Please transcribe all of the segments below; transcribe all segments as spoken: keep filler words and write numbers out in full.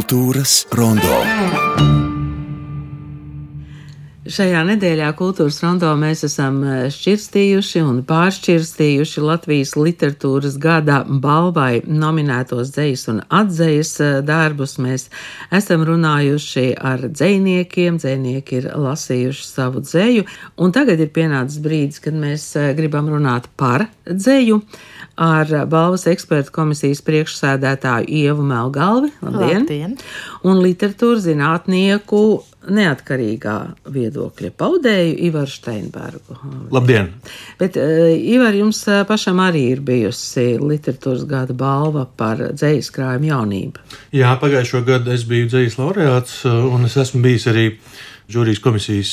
Kultūras rondo. Šajā nedēļā Kultūras rondo mēs esam šķirstījuši un pāršķirstījuši Latvijas literatūras gada balvai nominētos dzejas un atdzejas darbus. Mēs esam runājuši ar dzejniekiem, dzejnieki ir lasījuši savu dzeju, un tagad ir pienācis brīdis, kad mēs gribam runāt par dzeju ar balvas ekspertu komisijas priekšsēdētāju Ievu Melgalvi, labdien, labdien. Un literatūras zinātnieku neatkarīgā viedokļa paudēju Ivaru Steinbergu. Labdien! Bet, uh, Ivar, jums pašam arī ir bijusi literatūras gada balva par dzejas krājumu jaunību. Jā, pagājušo gadu es biju dzejas laureāts, un es esmu bijis arī žūrijas komisijas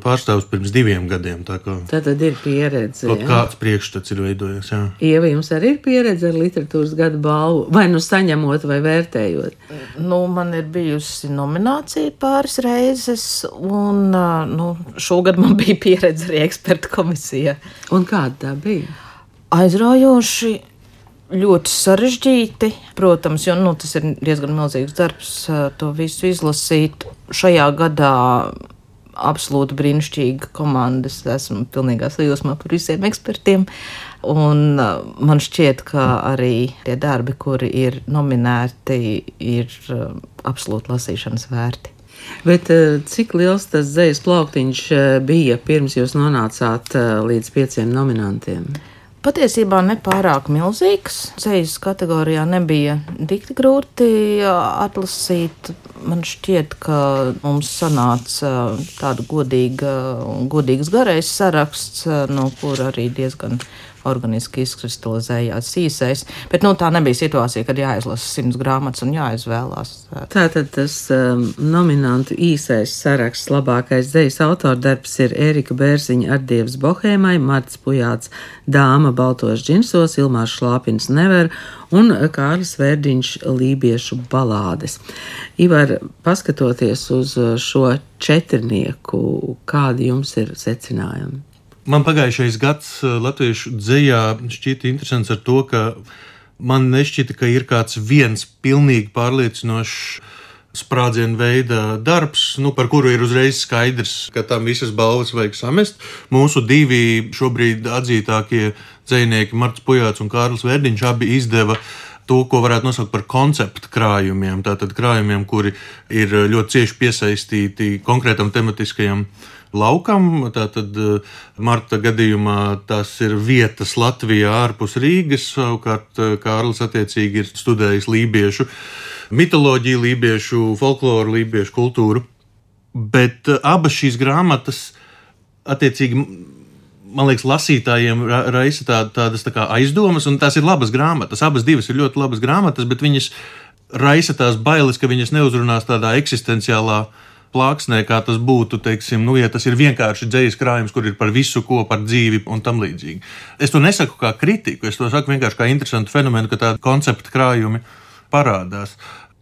pārstāvs pirms diviem gadiem. Tā kā Tātad ir pieredze. Kaut kāds priekšstats ir veidojies, jā. Ieva, jums arī ir pieredze ar literatūras gada balvu, vai nu saņemot, vai vērtējot? Nu, man ir bijusi nominācija pāris reizes, un nu, šogad man bija pieredze arī ekspertu komisijā. Un kāda tā bija? Aizraujoši, ļoti sarežģīti, protams, jo nu, tas ir diezgan milzīgs darbs to visu izlasīt. Šajā gadā absolūti brīnišķīga komanda, es esmu pilnīgā sajūsmā par visiem ekspertiem, un man šķiet, ka arī tie darbi, kuri ir nominēti, ir absolūti lasīšanas vērti. Bet cik liels tas dzejas plauktiņš bija pirms jūs nonācāt līdz pieciem nominantiem? Patiesībā nepārāk milzīgs. Dzejas kategorijā nebija dikti grūti atlasīt. Man šķiet, ka mums sanāca tāda godīga un godīgs garais saraksts, no kur arī diezgan organiski izkristalizējās īsais. Bet nu, tā nebija situācija, kad jāizlasa simts grāmatas un jāizvēlās. Tātad tas um, nominantu īsais saraksts labākais dzejas autordarbs ir Ērika Bērziņa Ardievs Bohēmai, Marts Pujāts Dāma baltos džinsos, Ilmārs Šlāpins Never un Kārlis Vērdiņš Lībiešu balādes. Ivar, paskatoties uz šo četrnieku, kādi jums ir secinājumi? Man pagājušais gads latviešu dzejā šķita interesants ar to, ka man nešķita, ka ir kāds viens pilnīgi pārliecinošs sprādzienu veida darbs, nu, par kuru ir uzreiz skaidrs, ka tam visas balvas vajag samest. Mūsu divi šobrīd atzītākie dzejnieki, Marts Pujāts un Kārlis Vērdiņš, abi izdeva to, ko varētu nosaukt par konceptu krājumiem. Tātad krājumiem, kuri ir ļoti cieši piesaistīti konkrētam tematiskajam laukam. Tātad Marta gadījumā tās ir vietas Latvijā ārpus Rīgas, savukārt Kārlis attiecīgi ir studējis lībiešu mitoloģiju, lībiešu folkloru, lībiešu kultūru. Bet abas šīs grāmatas attiecīgi, man liekas, lasītājiem raisa tā, tādas tā kā aizdomas, un tās ir labas grāmatas. Abas divas ir ļoti labas grāmatas, bet viņas raisa tās bailes, ka viņas neuzrunās tādā eksistenciālā plāksnē, kā tas būtu, teiksim, nu, ja tas ir vienkārši dzejas krājums, kur ir par visu ko, par dzīvi un tam līdzīgi. Es to nesaku kā kritiku, es to saku vienkārši kā interesantu fenomenu, ka tādi konceptu krājumi parādās.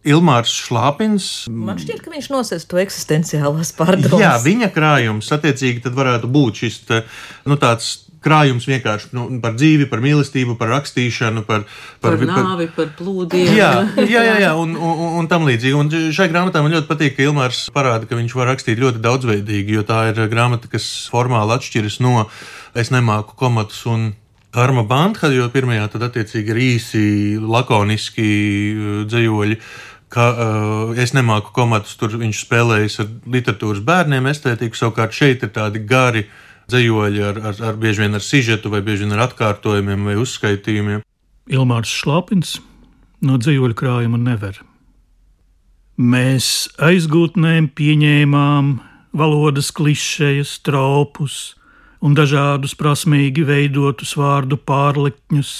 Ilmārs Šlāpins. Man šķiet, ka viņš nosēs to eksistenciālās pārdomas. Jā, viņa krājums, attiecīgi, tad varētu būt šis, te, nu, tāds krājums vienkārši nu, par dzīvi, par mīlestību, par rakstīšanu, par, par, par nāvi, par plūdiem. Jā, jā, jā, jā un, un, un tam līdzīgi. Un šai grāmatā man ļoti patīk, ka Ilmārs parāda, ka viņš var rakstīt ļoti daudzveidīgi, jo tā ir grāmata, kas formāli atšķiras no Es nemāku komatus un Karma Bandha, jo pirmajā tad attiecīgi ir īsi, lakoniski dzejoļi. Ka, uh, es nemāku komatus, tur viņš spēlējas ar literatūras bērniem estētiku, savukārt šeit ir tādi gari dzejoļi ar, ar, ar bieži vien ar sižetu vai bieži vien ar atkārtojumiem vai uzskaitījumiem. Ilmārs Šlāpins no dzejoļu krājuma Never. Mēs aizgūtnēm pieņēmām valodas klišejas, tropus un dažādus prasmīgi veidotus vārdu pārlikņus,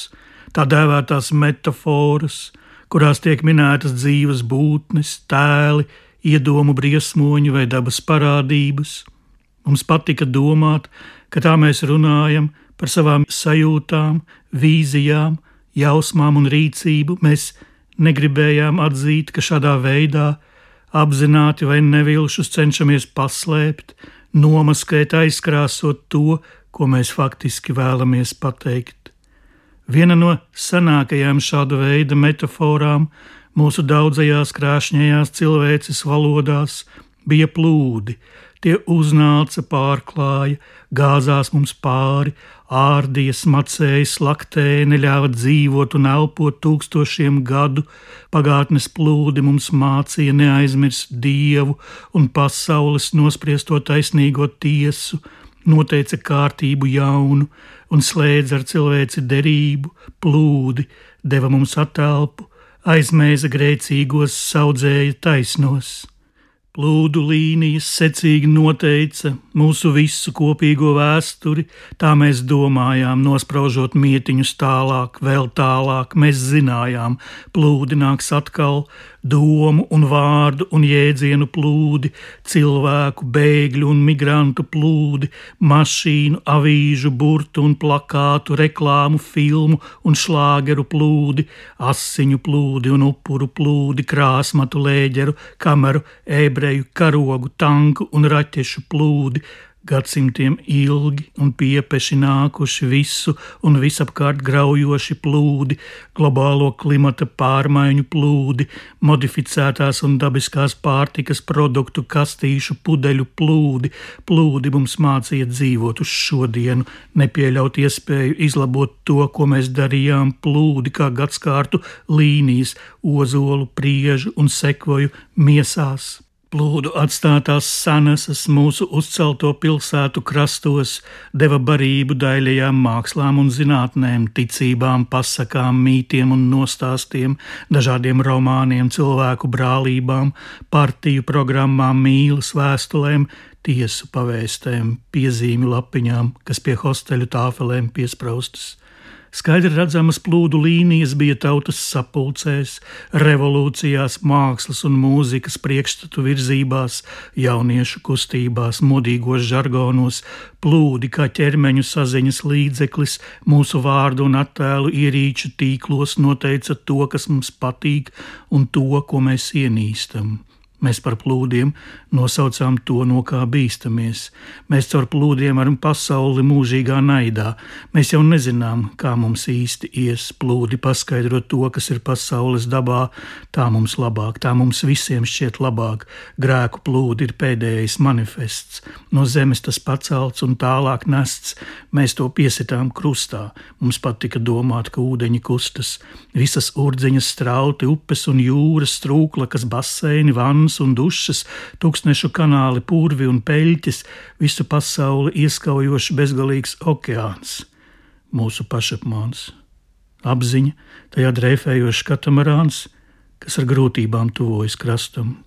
tā dēvētās metaforas, kurās tiek minētas dzīves būtnes, tēli, iedomu briesmoņi vai dabas parādības. Mums patika domāt, ka tā mēs runājam par savām sajūtām, vīzijām, jausmām un rīcību. Mēs negribējām atzīt, ka šādā veidā apzināti vai nevilšus cenšamies paslēpt, nomaskēt, aizkrāsot to, ko mēs faktiski vēlamies pateikt. Viena no senākajām šāda veida metaforām Mūsu daudzajās krāšņajās cilvēces valodās bija plūdi, tie uznāca, pārklāja, gāzās mums pāri, ārdīja, smacēja, slaktēja, neļāva dzīvot un elpot tūkstošiem gadu. Pagātnes plūdi mums mācīja neaizmirst Dievu un pasaules nospriesto taisnīgo tiesu, noteica kārtību jaunu un slēdza ar cilvēci derību, plūdi, deva mums atelpu, aizmēza grēcīgos, saudzēja taisnos. Plūdu līnijas secīgi noteica mūsu visu kopīgo vēsturi, tā mēs domājām, nospraužot mietiņus tālāk, vēl tālāk, mēs zinājām, plūdi nāks atkal, domu un vārdu un jēdzienu plūdi, cilvēku, bēgļu un migrantu plūdi, mašīnu, avīžu, burtu un plakātu, reklāmu, filmu un šlāgeru plūdi, asiņu plūdi un upuru plūdi, krāsmatu, lēģeru, kameru, ebreju, karogu, tanku un raķešu plūdi, gadsimtiem ilgi un piepeši nākuši visu un visapkārt graujoši plūdi, globālo klimata pārmaiņu plūdi, modificētās un dabiskās pārtikas produktu kastīšu pudeļu plūdi, plūdi mums mācīja dzīvot uz šodienu, nepieļaut iespēju izlabot to, ko mēs darījām, plūdi kā gadskārtu līnijas, ozolu, priežu un sekvoju miesās. Plūdu atstātās sanasas mūsu uzcelto pilsētu krastos deva barību daļajām mākslām un zinātnēm, ticībām, pasakām, mītiem un nostāstiem, dažādiem romāniem, cilvēku brālībām, partiju programmām, mīlas vēstulēm, tiesu pavēstēm, piezīmju lapiņām, kas pie hosteļu tāfelēm piespraustas. Skaidri redzamas plūdu līnijas bija tautas sapulcēs, revolūcijās, mākslas un mūzikas priekšstatu virzībās, jauniešu kustībās, modīgos žargonos, plūdi kā ķermeņu saziņas līdzeklis, mūsu vārdu un attēlu ierīču tīklos noteica to, kas mums patīk un to, ko mēs ienīstam. Mēs par plūdiem nosaucām to, no kā bīstamies. Mēs caur plūdiem varam pasauli mūžīgā naidā. Mēs jau nezinām, kā mums īsti ies. Plūdi paskaidro to, kas ir pasaules dabā, tā mums labāk, tā mums visiem šķiet labāk. Grēku plūdi ir pēdējais manifests. No zemes tas pacelts un tālāk nests. Mēs to piesitām krustā. Mums patika domāt, ka ūdeņi kustas. Visas urdzeņas strauti, upes un jūras, strūklakas, baseini, vannas un dušas, tūkstnešu kanāli, purvi un peļķis, visu pasauli ieskaujošs bezgalīgs okeāns. Mūsu pašapmāns. Apziņa, tajā dreifējošs katamarāns, kas ar grūtībām tuvojas krastam.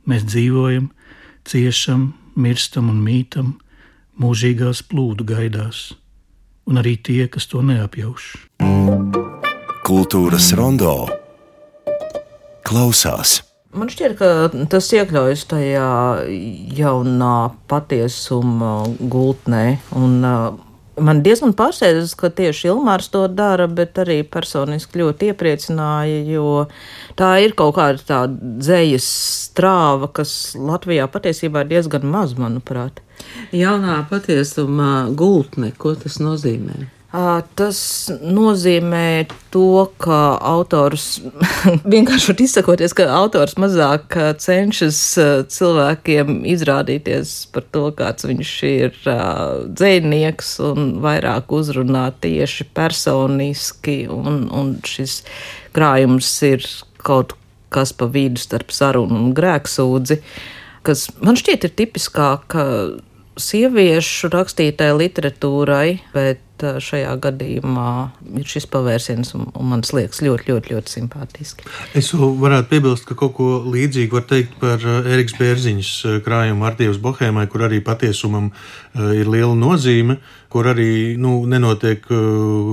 Mēs dzīvojam, ciešam, mirstam un mītam, mūžīgās plūdu gaidās, un arī tie, kas to neapjauš. Kultūras rondo klausās. Man šķiet, ka tas iekļaujas tajā jaunā patiesuma gultnē, un man diezgan pārsteidz, ka tieši Ilmārs to dara, bet arī personiski ļoti iepriecināja, jo tā ir kaut kāda tā dzejas strāva, kas Latvijā patiesībā ir diezgan maz, manuprāt. Jaunā patiesuma gultne, ko tas nozīmē? Tas nozīmē to, ka autors, vienkārši izsakoties, ka autors mazāk cenšas cilvēkiem izrādīties par to, kāds viņš ir dzejnieks, un vairāk uzrunā tieši personiski, un, un šis krājums ir kaut kas pa vidu starp sarunu un grēksūdzi, kas man šķiet ir tipiskāk sieviešu rakstītai literatūrai, bet šajā gadījumā ir šis pavērsiens, un, un man liekas ļoti, ļoti, ļoti simpātiski. Es varētu piebilst, ka kaut ko līdzīgu var teikt par Erikas Bērziņas krājumu Ardievas Bohēmai, kur arī patiesumam ir liela nozīme, kur arī nu, nenotiek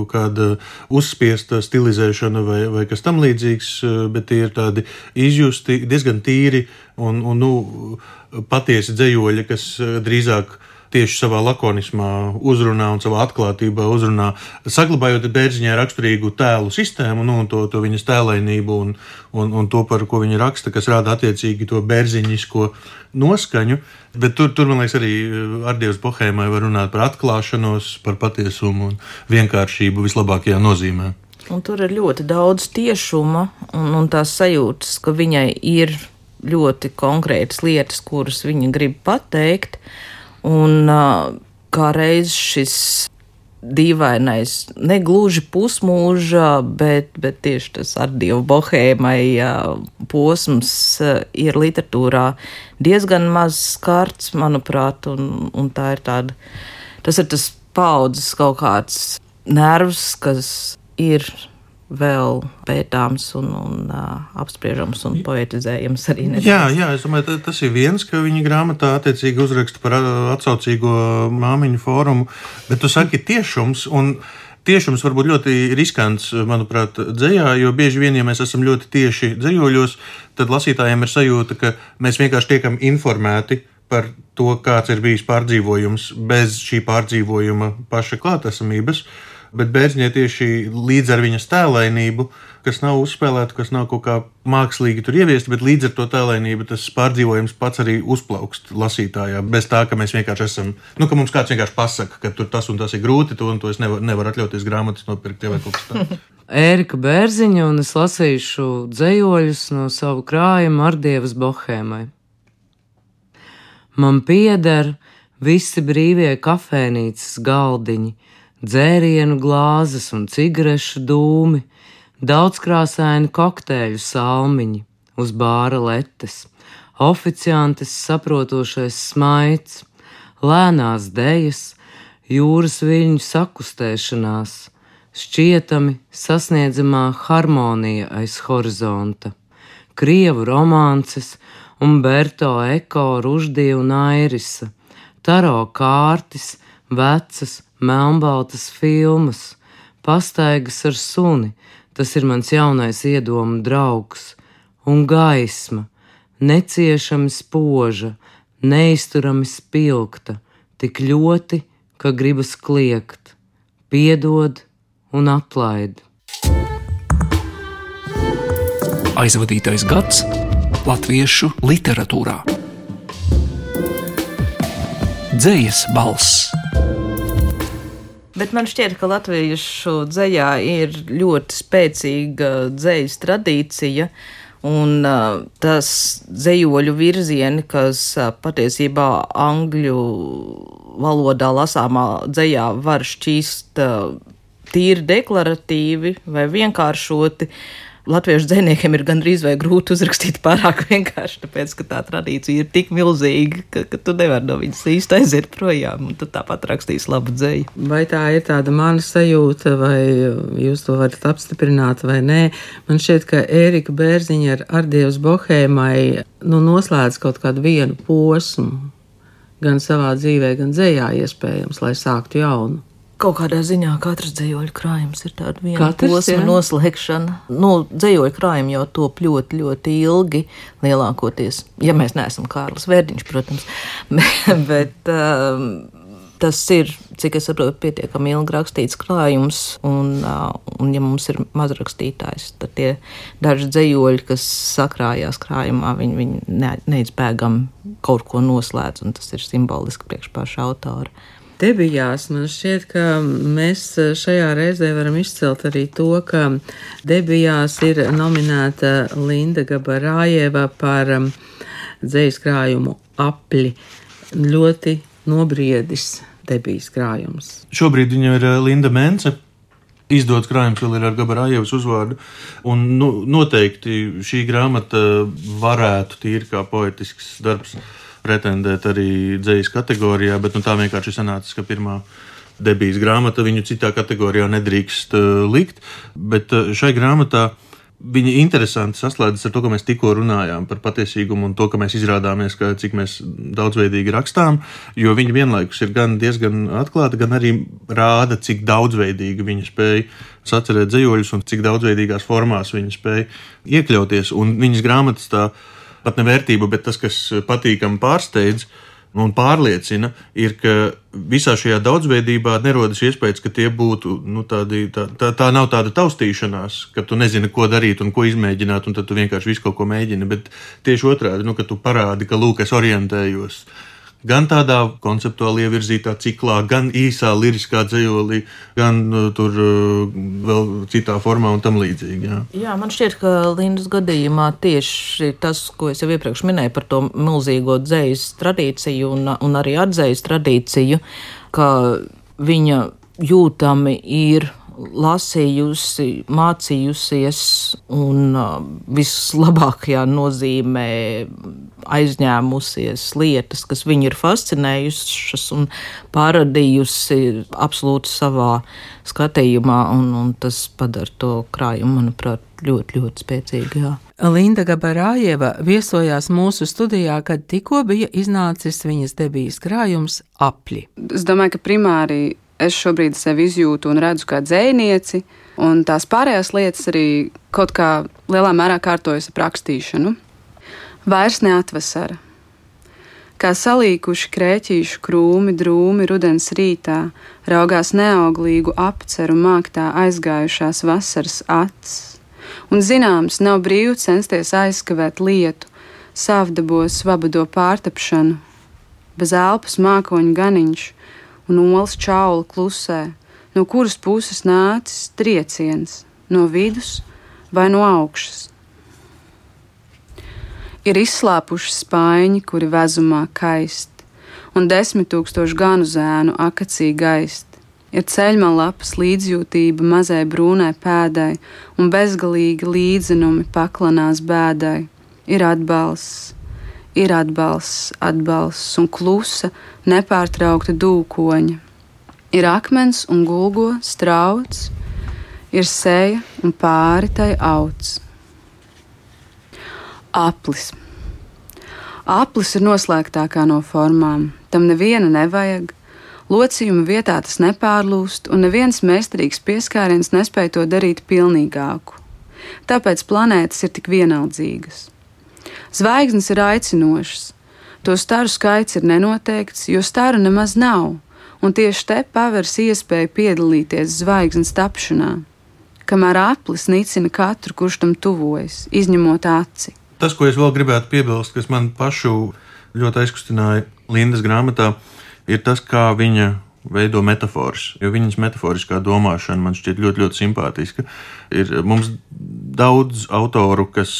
kāda uzspiesta stilizēšana vai, vai kas tam līdzīgs, bet tie ir tādi izjusti, diezgan tīri un, un nu, patiesi dzejoļi, kas drīzāk tieši savā lakonismā uzrunā un savā atklātībā uzrunā, saglabājot Bērziņai raksturīgu tēlu sistēmu, nu, un to, to viņas tēlainību un, un, un to, par ko viņa raksta, kas rāda attiecīgi to bērziņisko noskaņu. Bet tur, tur, man liekas, arī Ardievas Bohēmai var runāt par atklāšanos, par patiesumu un vienkāršību vislabākajā nozīmē. Un tur ir ļoti daudz tiešuma un, un tās sajūtas, ka viņai ir ļoti konkrētas lietas, kuras viņa grib pateikt. Un kā reiz šis dīvainais, negluži pusmūža, bet, bet tieši tas ar dievu bohēmai posms ir literatūrā diezgan maz skarts, manuprāt, un, un tā ir tāda, tas ir tas paudzes kaut kāds nervs, kas ir vēl pētāms un, un uh, apspriežams un poetizējams arī nedaudz. Jā, jā, es domāju, tas ir viens, ka viņa grāmatā attiecīgi uzraksta par atsaucīgo māmiņu fórumu, bet tu saki tiešums, un tiešums var būt ļoti riskants, manuprāt, dzejā, jo bieži vien, ja mēs esam ļoti tieši dzejoļos, tad lasītājiem ir sajūta, ka mēs vienkārši tiekam informēti par to, kāds ir bijis pārdzīvojums bez šī pārdzīvojuma paša klātesamības. Bet Bērziņai tieši līdz ar viņas tēlainību, kas nav uzspēlēta, kas nav kaut kā mākslīgi tur ieviesta, bet līdz ar to tēlainību tas pārdzīvojums pats arī uzplaukst lasītājā. Bez tā, ka mēs vienkārši esam, nu, ka mums kāds vienkārši pasaka, ka tur tas un tas ir grūti, to un to es nevaru nevar atļauties grāmatas nopirkt vai kaut kas tā. Ērika Bērziņa, un es lasīšu dzejoļus no savu krājumu Ardievas bohēmai. Man pieder visi brīvie kafēnīcas galdiņi, dzērienu glāzes un cigarešu dūmi, daudzkrāsaini kokteļu salmiņi uz bāra letes, oficiantes saprotošais smaids, lēnās dejas, jūras viļņu sakustēšanās, šķietami sasniedzamā harmonija aiz horizonta, krievu romances, Umberto Eko, Ruždija un Airisa, taro kārtis, vecas, melnbaltas filmas, pastaigas ar suni, tas ir mans jaunais iedomu draugs, un gaisma, neciešami spoža, neizturami spilgta, tik ļoti, ka gribas kliegt, piedod un atlaid. Aizvadītais gads latviešu literatūrā. Dzejas balss. Bet man šķiet, ka latviešu dzejā ir ļoti spēcīga dzejas tradīcija, un uh, tas dzejoļu virzieni, kas uh, patiesībā angļu valodā lasāmā dzejā var šķīst uh, tīri deklaratīvi vai vienkāršoti, latviešu dzejniekiem ir gandrīz vai grūti uzrakstīt pārāk vienkārši, tāpēc, ka tā tradīcija ir tik milzīga, ka, ka tu nevari no viņas īsti aiziet projām, un tu tāpat rakstīsi labu dzeju. Vai tā ir tāda mana sajūta, vai jūs to varat apstiprināt vai nē? Man šķiet, ka Ērika Bērziņa ar Ardievas bohēmai nu, noslēdz kaut kādu vienu posmu, gan savā dzīvē, gan dzejā iespējams, lai sāktu jaunu. Kaut kādā ziņā katrs dzejoļu krājums ir tāda viena Katrs, posma jā. noslēgšana. Nu, dzejoļu krājumi jau top ļoti, ļoti ilgi, lielākoties, ja mēs neesam Kārlis Vērdiņš, protams, bet um, tas ir, cik es saprotu, pietiekami ilgi rakstīts krājums, un, uh, un ja mums ir mazrakstītājs, tad tie daži dzejoļi, kas sakrājās krājumā, viņi, viņi ne, neizbēgami kaut ko noslēdz, un tas ir simboliski priekš paša autora. Debijās man šķiet, ka mēs šajā reizē varam izcelt arī to, ka debijās ir nominēta Linda Gabarājeva par dzejas krājumu Apļi. Ļoti nobriedis debijas krājums. Šobrīd viņa ir Linda Mence. Izdots krājums vēl ir ar Gabarājevas uzvārdu, un nu, noteikti šī grāmata varētu tīri kā poetisks darbs pretendēt arī dzejas kategorijā, bet nu, tā vienkārši sanācis, ka pirmā debijas grāmata viņu citā kategorijā nedrīkst uh, likt, bet uh, šai grāmatā viņa interesanti saslēdzas ar to, ko mēs tikko runājām par patiesīgumu un to, ka mēs izrādāmies, ka cik mēs daudzveidīgi rakstām, jo viņa vienlaikus ir gan diezgan atklāta, gan arī rāda, cik daudzveidīgi viņa spēja sacerēt dzejoļus un cik daudzveidīgās formās viņa spēja iekļauties, un viņas grāmatas tā pat ne vērtība, bet tas, kas patīkami pārsteidz un pārliecina, ir, ka visā šajā daudzveidībā nerodas iespējas, ka tie būtu, nu, tādi, tā, tā, tā nav tāda taustīšanās, ka tu nezini, ko darīt un ko izmēģināt, un tad tu vienkārši visu kaut ko mēģini, bet tieši otrādi, nu, ka tu parādi, ka lūk, es orientējos, gan tādā konceptuāli ievirzītā ciklā, gan īsā liriskā dzejolī, gan uh, tur uh, vēl citā formā un tam līdzīgi. Jā. Jā, man šķiet, ka Lindas gadījumā tieši tas, ko es jau iepriekš minēju par to milzīgo dzejas tradīciju un, un arī atdzejas tradīciju, ka viņa jūtami ir lasījusi, mācījusies un vislabākajā nozīmē aizņēmusies lietas, kas viņu ir fascinējušas un pārradījusi absolūti savā skatījumā, un, un tas padara to krājumu, manuprāt, ļoti, ļoti spēcīgi. Jā. Linda Gabarājeva viesojās mūsu studijā, kad tikko bija iznācis viņas debijas krājums Apļi. Es domāju, ka primāri es šobrīd sevi izjūtu un redzu kā dzejnieci, un tās pārējās lietas arī kaut kā lielā mērā kārtojas ap rakstīšanu. Vairs neatvasara. Kā salīkuši krēķīšu krūmi drūmi rudens rītā, raugās neauglīgu apceru māktā aizgājušās vasaras acis. Un zināms, nav brīvi censties aizskavēt lietu, savdabos vabado pārtapšanu, bez elpas mākoņu ganiņš, un olas čaula klusē, no kuras puses nācis trieciens, no vidus vai no augšas. Ir izslāpuši spaiņi, kuri vezumā kaist, un desmit tūkstoši ganu zēnu akacī gaist. Ir ceļmalapas līdzjūtība mazai brūnai pēdai, un bezgalīgi līdzenumi paklanās bēdai. Ir atbalsts. Ir atbalsts, atbalsts un klusa, nepārtraukta dūkoņa. Ir akmens un gulgo strauts, ir seja un pāri tai auts. Aplis. Aplis ir noslēgtākā no formām, tam neviena nevajag, locījuma vietā tas nepārlūst, un neviens meistarīgs pieskāriens nespēja to darīt pilnīgāku. Tāpēc planētas ir tik vienaldzīgas. Zvaigznes ir aicinošas, to staru skaits ir nenoteikts, jo staru nemaz nav, un tieši te paveras iespēja piedalīties zvaigznes tapšanā, kamēr aplis nicina katru, kurš tam tuvojas, izņemot aci. Tas, ko es vēl gribētu piebilst, kas man pašu ļoti aizkustināja Lindas grāmatā, ir tas, kā viņa veido metaforas, jo viņas metaforiskā domāšana man šķiet ļoti, ļoti simpātiska. Ir mums daudz autoru, kas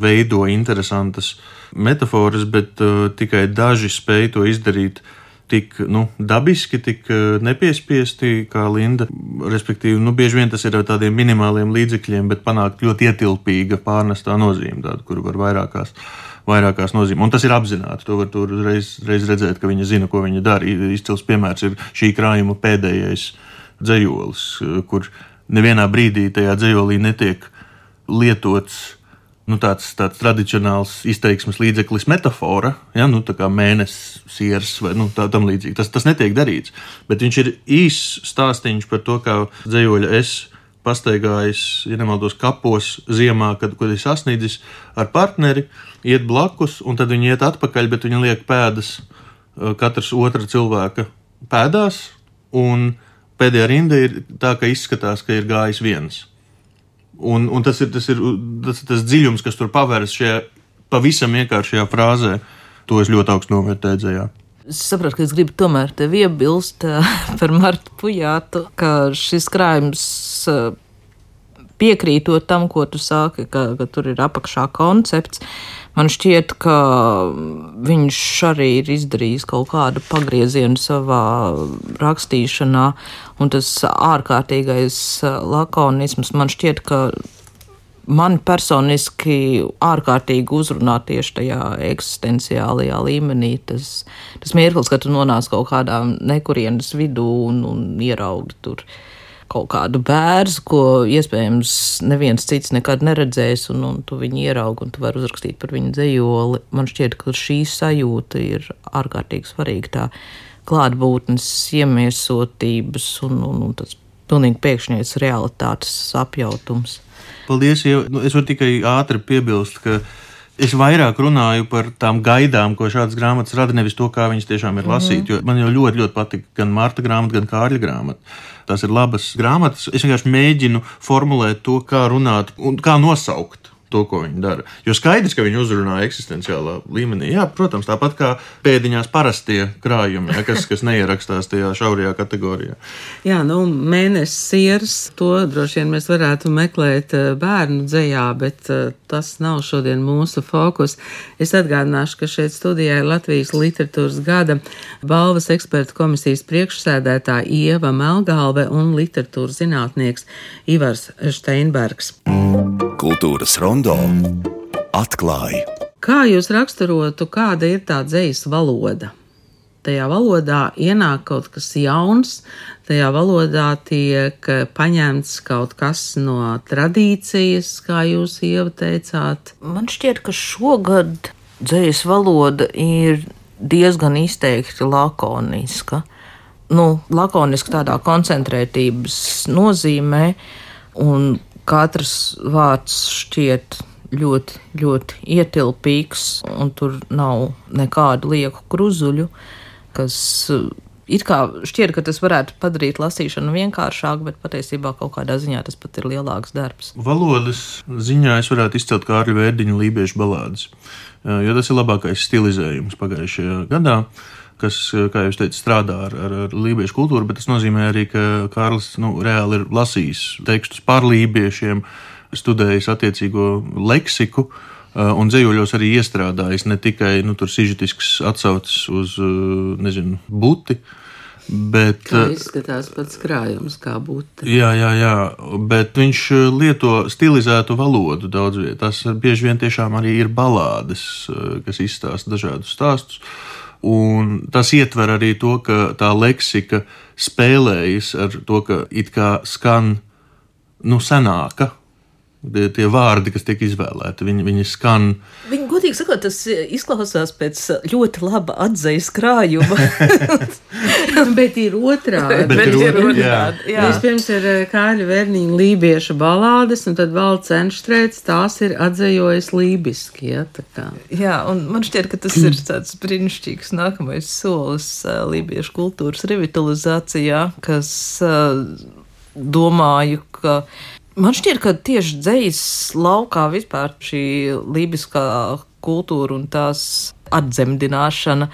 veido interesantas metaforas, bet uh, tikai daži spēj to izdarīt tik nu, dabiski, tik uh, nepiespiesti kā Linda. Respektīvi, nu, bieži vien tas ir ar tādiem minimāliem līdzekļiem, bet panākt ļoti ietilpīga pārnestā nozīme, tāda, kuru var vairākās vairākās nozīmēs. Un tas ir apzināti. To var tur reiz, reiz redzēt, ka viņa zina, ko viņa dara. Izcils piemērs ir šī krājuma pēdējais dzejolis, kur nevienā brīdī tajā dzejolī netiek lietots nu, tāds, tāds tradicionāls izteiksmes līdzeklis metafora, ja, nu, tā kā mēnesis, siers vai nu, tā, tam līdzīgi. Tas, tas netiek darīts. Bet viņš ir īss stāstīņš par to, kā dzejoļa es pastaigājis, ja nemaldos, kapos ziemā, kad, kad ir sasniedzis ar partneri, iet blakus, un tad viņi iet atpakaļ, bet viņi liek pēdas katrs otra cilvēka pēdās, un pēdējā rinda ir tā, ka izskatās, ka ir gājis viens. Un, un tas ir tas, ir, tas, tas dziļums, kas tur pavērs šajā pavisam vienkāršajā frāzē, to es ļoti augstu novērtēju dzejā. Es saprotu, ka es gribu tomēr tevi iebilst par Martu Pujātu, ka šis krājums piekrītot tam, ko tu sāki, ka, ka tur ir apakšā koncepts. Man šķiet, ka viņš arī ir izdarījis kaut kādu pagriezienu savā rakstīšanā, un tas ārkārtīgais lakonisms, man šķiet, ka man personiski ārkārtīgi uzrunā tieši tajā eksistenciālajā līmenī. Tas, tas mirklis, ka tu nonāc kaut kādā nekurienes vidū un, un ieraugi tur kaut kādu bērzu, ko iespējams neviens cits nekad neredzēs, un, un tu viņu ieraugi un tu vari uzrakstīt par viņu dzejoli. Man šķiet, ka šī sajūta ir ārkārtīgi svarīga, tā klātbūtnes iemiesotības un, un, un tas pilnīgi pēkšņais realitātes apjautums. Paldies, jo nu, es varu tikai ātri piebilst, ka es vairāk runāju par tām gaidām, ko šādas grāmatas rada, nevis to, kā viņas tiešām ir lasīt, mm-hmm. jo man jau ļoti, ļoti patīk gan Marta grāmata, gan Kārļa grāmata. Tās ir labas grāmatas. Es vienkārši mēģinu formulēt to, kā runāt un kā nosaukt to, ko viņi dara. Jo skaidrs, ka viņi uzrunā eksistenciālā līmenī. Jā, protams, tāpat kā pēdiņās parastie krājumi, ja, kas, kas neierakstās tajā šaurajā kategorijā. Jā, nu, mēnesis sieras, to droši vien mēs varētu meklēt bērnu dzejā, bet tas nav šodien mūsu fokus. Es atgādināšu, ka šeit studijā ir Latvijas literatūras gada balvas ekspertu komisijas priekšsēdētāja Ieva Melgalve un literatūras zinātnieks Ivars Steinbergs. Kultūras rondo atklāja. Kā jūs raksturotu, kāda ir tā dzejas valoda? Tajā valodā ienāk kaut kas jauns, tajā valodā tiek paņemts kaut kas no tradīcijas, kā jūs Ieva teicāt. Man šķiet, ka šogad dzejas valoda ir diezgan izteikti lakoniska. Nu, lakoniska tādā koncentrētības nozīmē, un katrs vārds šķiet ļoti, ļoti ietilpīgs, un tur nav nekādu lieku kruzuļu, kas it kā šķiet, ka tas varētu padarīt lasīšanu vienkāršāku, bet patiesībā kaut kādā ziņā tas pat ir lielāks darbs. Valodas ziņā es varētu izcelt Kārļa Vērdiņa Lībiešu balādes, jo tas ir labākais stilizējums pagājušajā gadā, kas, kā jūs teicat, strādā ar, ar, ar lībiešu kultūru, bet tas nozīmē arī, ka Kārlis nu, reāli ir lasījis tekstus par lībiešiem, studējis attiecīgo leksiku un dzējoļos arī iestrādājis ne tikai nu, tur sižetisks atsaucis uz, nezinu, buti, bet... Kā izskatās pats krājums, kā buti. Jā, jā, jā, bet viņš lieto stilizētu valodu daudz viet. Tas bieži vien tiešām arī ir balādes, kas izstāsta dažādus stāstus. Un tas ietver arī to, ka tā leksika spēlējas ar to, ka it kā skan nu, senāka. Tie, tie vārdi, kas tiek izvēlēti, viņi, viņi skan. Viņi, godīgi sakot, tas izklausās pēc ļoti laba atzejas krājuma. Bet ir otrādi. Bet Bet ir ir otrādi, otrādi, jā. Vispirms ir Kārļa Vērdiņa lībiešu balādes, un tad Valds Enštrēts tās ir atzejojis lībiski. Ja, tā kā. Jā, un man šķiet, ka tas ir tāds brīnišķīgs nākamais solis lībiešu kultūras revitalizācijā, kas domāju, ka man šķiet, ka tieši dzejas laukā vispār šī lībiskā kultūra un tās atdzemdināšana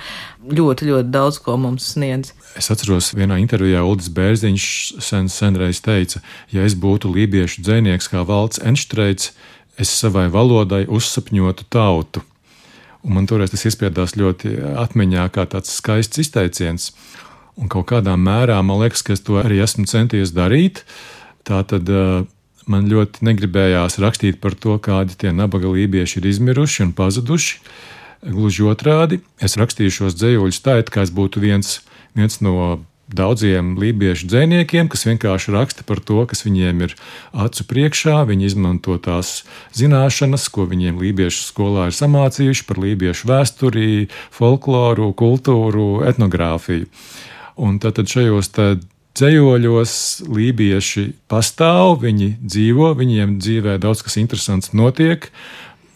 ļoti, ļoti daudz ko mums sniedz. Es atceros, vienā intervijā Uldis Bērziņš sen, senreiz teica, ja es būtu lībiešu dzejnieks kā Valds Enštreits, es savai valodai uzsapņotu tautu. Un man toreiz tas iespiedās ļoti atmiņā kā tāds skaists izteiciens. Un kaut kādā mērā man liekas, ka es to arī esmu centies darīt. Tātad man ļoti negribējās rakstīt par to, kādi tie nabaga lībieši ir izmiruši un pazuduši. Gluži otrādi, es rakstīju šos dzējoļus tā, it kā es būtu viens, viens no daudziem lībiešu dzejniekiem, kas vienkārši raksta par to, kas viņiem ir acu priekšā. Viņi izmanto tās zināšanas, ko viņiem lībiešu skolā ir samācījuši par lībiešu vēsturi, folkloru, kultūru, etnogrāfiju. Un tātad šajos tā dzējoļos lībieši pastāv, viņi dzīvo, viņiem dzīvē daudz kas interesants notiek,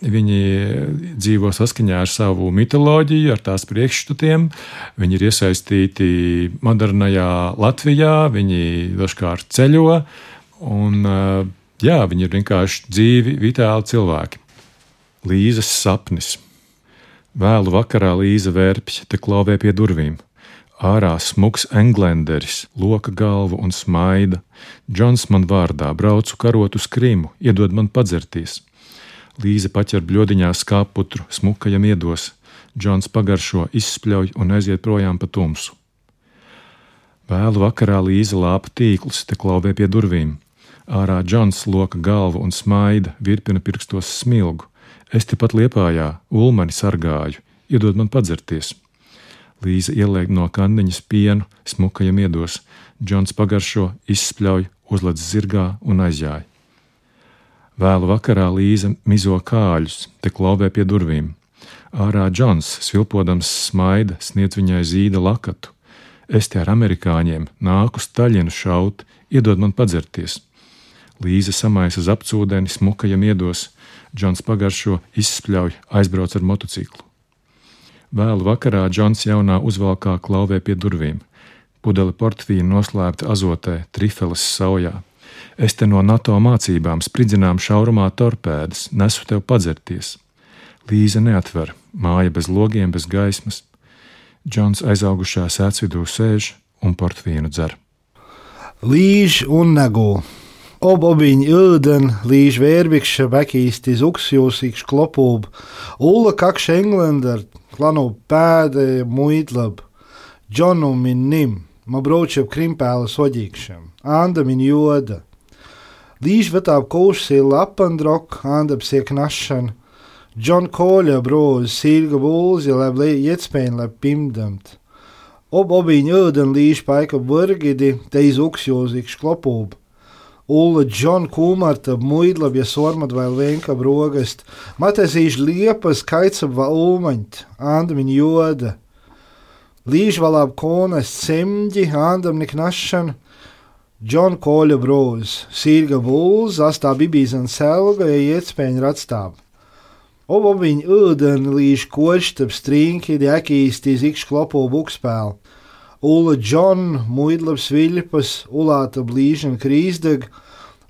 viņi dzīvo saskaņā ar savu mitoloģiju, ar tās priekšstatiem, viņi ir iesaistīti modernajā Latvijā, viņi dažkārt ceļo, un jā, viņi ir vienkārši dzīvi, vitāli cilvēki. Līzes sapnis. Vēlu vakarā Līza vērpja, te klauvē pie durvīm. Ārā smuks englenderis, loka galvu un smaida. Džons man vārdā, braucu karot uz Krimu, iedod man padzerties. Līze paķer bļodiņā skāputru, smukajam iedos. Džons pagaršo, izspļauj un aiziet projām pa tumsu. Vēlu vakarā Līze lāpa tīklus, te klauvē pie durvīm. Ārā Džons loka galvu un smaida, virpina pirkstos smilgu. Es tepat Liepājā, ulmani sargāju, iedod man padzerties. Līze ieliek no kandiņas pienu, smukajam iedos. Džons pagaršo, izspļauj, uzlec zirgā un aizjāj. Vēlu vakarā Līze mizo kāļus, te klauvē pie durvīm. Ārā Džons, svilpodams smaida, sniedz viņai zīda lakatu. Es te ar amerikāņiem nāku staļinu šaut, iedod man padzerties. Līze samaisa uz apcūdeni, smukajam iedos. Džons pagaršo, izspļauj, aizbrauc ar motociklu. Vēlu vakarā Džons jaunā uzvalkā klauvē pie durvīm. Pudele portfīna noslēpta azotē, trifeles saujā. Es te no NATO mācībām spridzinām šaurumā torpēdas, nesu tev padzerties. Līza neatver, māja bez logiem, bez gaismas. Džons aizaugušā sēcvidū sēž un portvīnu dzer. Līž un negul. Ob obiņ ilden, līž vērvikša bekīsti zuksjūsīkš klopūb, Ulla kakš Englander, klanu pēde muitlab, Džonu min nim, ma braučeb krimpēla soģīkšam, Anda min joda. Līž vetāb kūšsī lapandrok, Anda psiek našan, Džon koļa broz, sīlga bulzi, lab ietspēn lab pimdamt. Ob obiņ ilden līž paika burgidi, teiz uksjūsīkš klopūb, Ulla Džon kūmartab muidlab, ja sormat vēl vienkab rogast, matesīš liepas kaicab va ulmaņt, Anda min joda. Līž valāb konas semģi, Andam nik našan, Džon koļa broz, sīlga bulz, astā bibīzan selga, ja ietspēņ ratstāb. Ob obiņ ūden līž koštab strīnki, dekīstī zikš klopo bukspēl. Ulla Džon, muidlab sviļpas, ulātab līžan krīzdeg,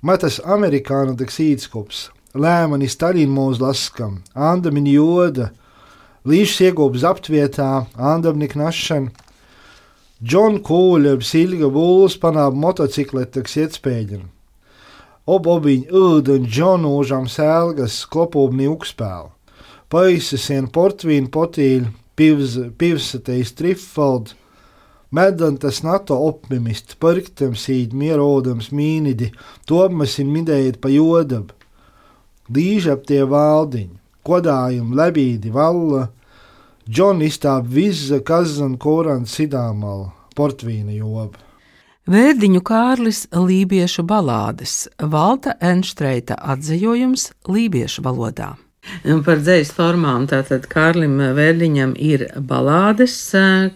matas amerikāna tak sīdskops, lēmani Stalin mūs laskam, Anda min joda, līžs iegūb zaptvietā, Andam nik našan, Džon kūļab silga būls panāb motocikletaks ietspēļan. Ob obiņ ūden Džonūžam sēlgas, klopūbni ukspēl, paisasien portvīn potīļ, pivs, pivsatejs trifald, Medantas NATO optimist, parktam sīd mierodams mīnidi, topmasin midējot pa jodab. Līžab tie valdiņi, kodājum lebīdi valla, Džon izstāb vizza kazan koran sidāmal, portvīna joba. Vērdiņu Kārlis lībiešu balādes, Valta Enštreita atzījojums lībiešu valodā. Par dzejas formām tātad Kārlim Vērdiņam ir balādes.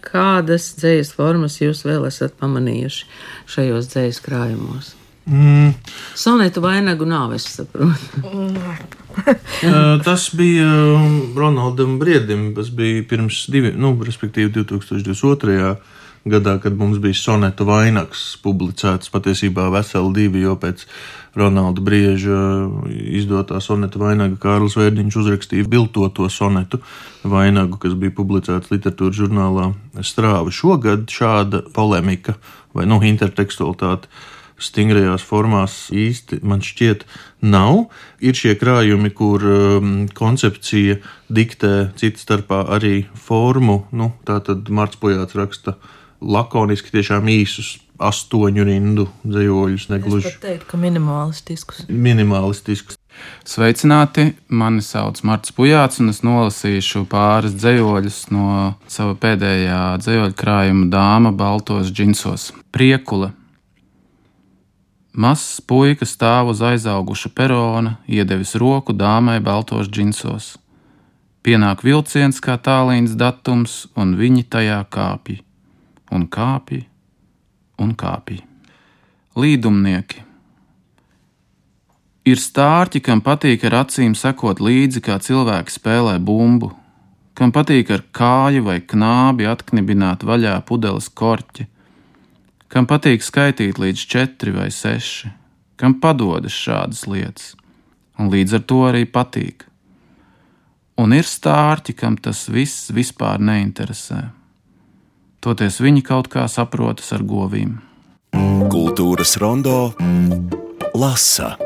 Kādas dzejas formas jūs vēl esat pamanījuši šajos dzejas krājumos? Mm. Sonetu vainagu nav, es saprotu. Tas bija Ronaldam Briedim, tas bija pirms divi, nu, respektīvi divi tūkstoši divdesmit otrajā gadā, kad mums bija sonetu vainags publicēts, patiesībā veseli divi, jo pēc Ronalda Brieža izdotā sonetu vainaga Kārlis Vērdiņš uzrakstīja biltoto sonetu vainagu, kas bija publicēts literatūras žurnālā Strāva. Šogad šāda polemika vai, nu, intertekstualitāte stingrajās formās īsti, man šķiet, nav. Ir šie krājumi, kur um, koncepcija diktē cita starpā arī formu, nu, tātad Marts Pujāts raksta lakoniski, tiešām īsus astoņu rindu dzejoļus, negluži. Es pat teiktu, ka minimalistiskus. Minimalistiskus. Sveicināti, mani sauc Marts Pujāts, un es nolasīšu pāris dzejoļus no sava pēdējā dzejoļu krājuma Dāma baltos džinsos. Priekule. Mazs puika stāv uz aizauguša perona, iedevis roku dāmai baltos džinsos. Pienāk vilciens kā tālīns datums, un viņi tajā kāpj. Un kāpj, un kāpj. Līdumnieki. Ir stārķi, kam patīk ar acīm sekot līdzi, kā cilvēki spēlē bumbu, kam patīk ar kāju vai knābi atknibināt vaļā pudeles korķi, kam patīk skaitīt līdz četri vai seši, kam padodas šādas lietas, un līdz ar to arī patīk. Un ir stārķi, kam tas viss vispār neinteresē. Toties viņi kaut kā saprotas ar govīm. Kultūras rondo lasa.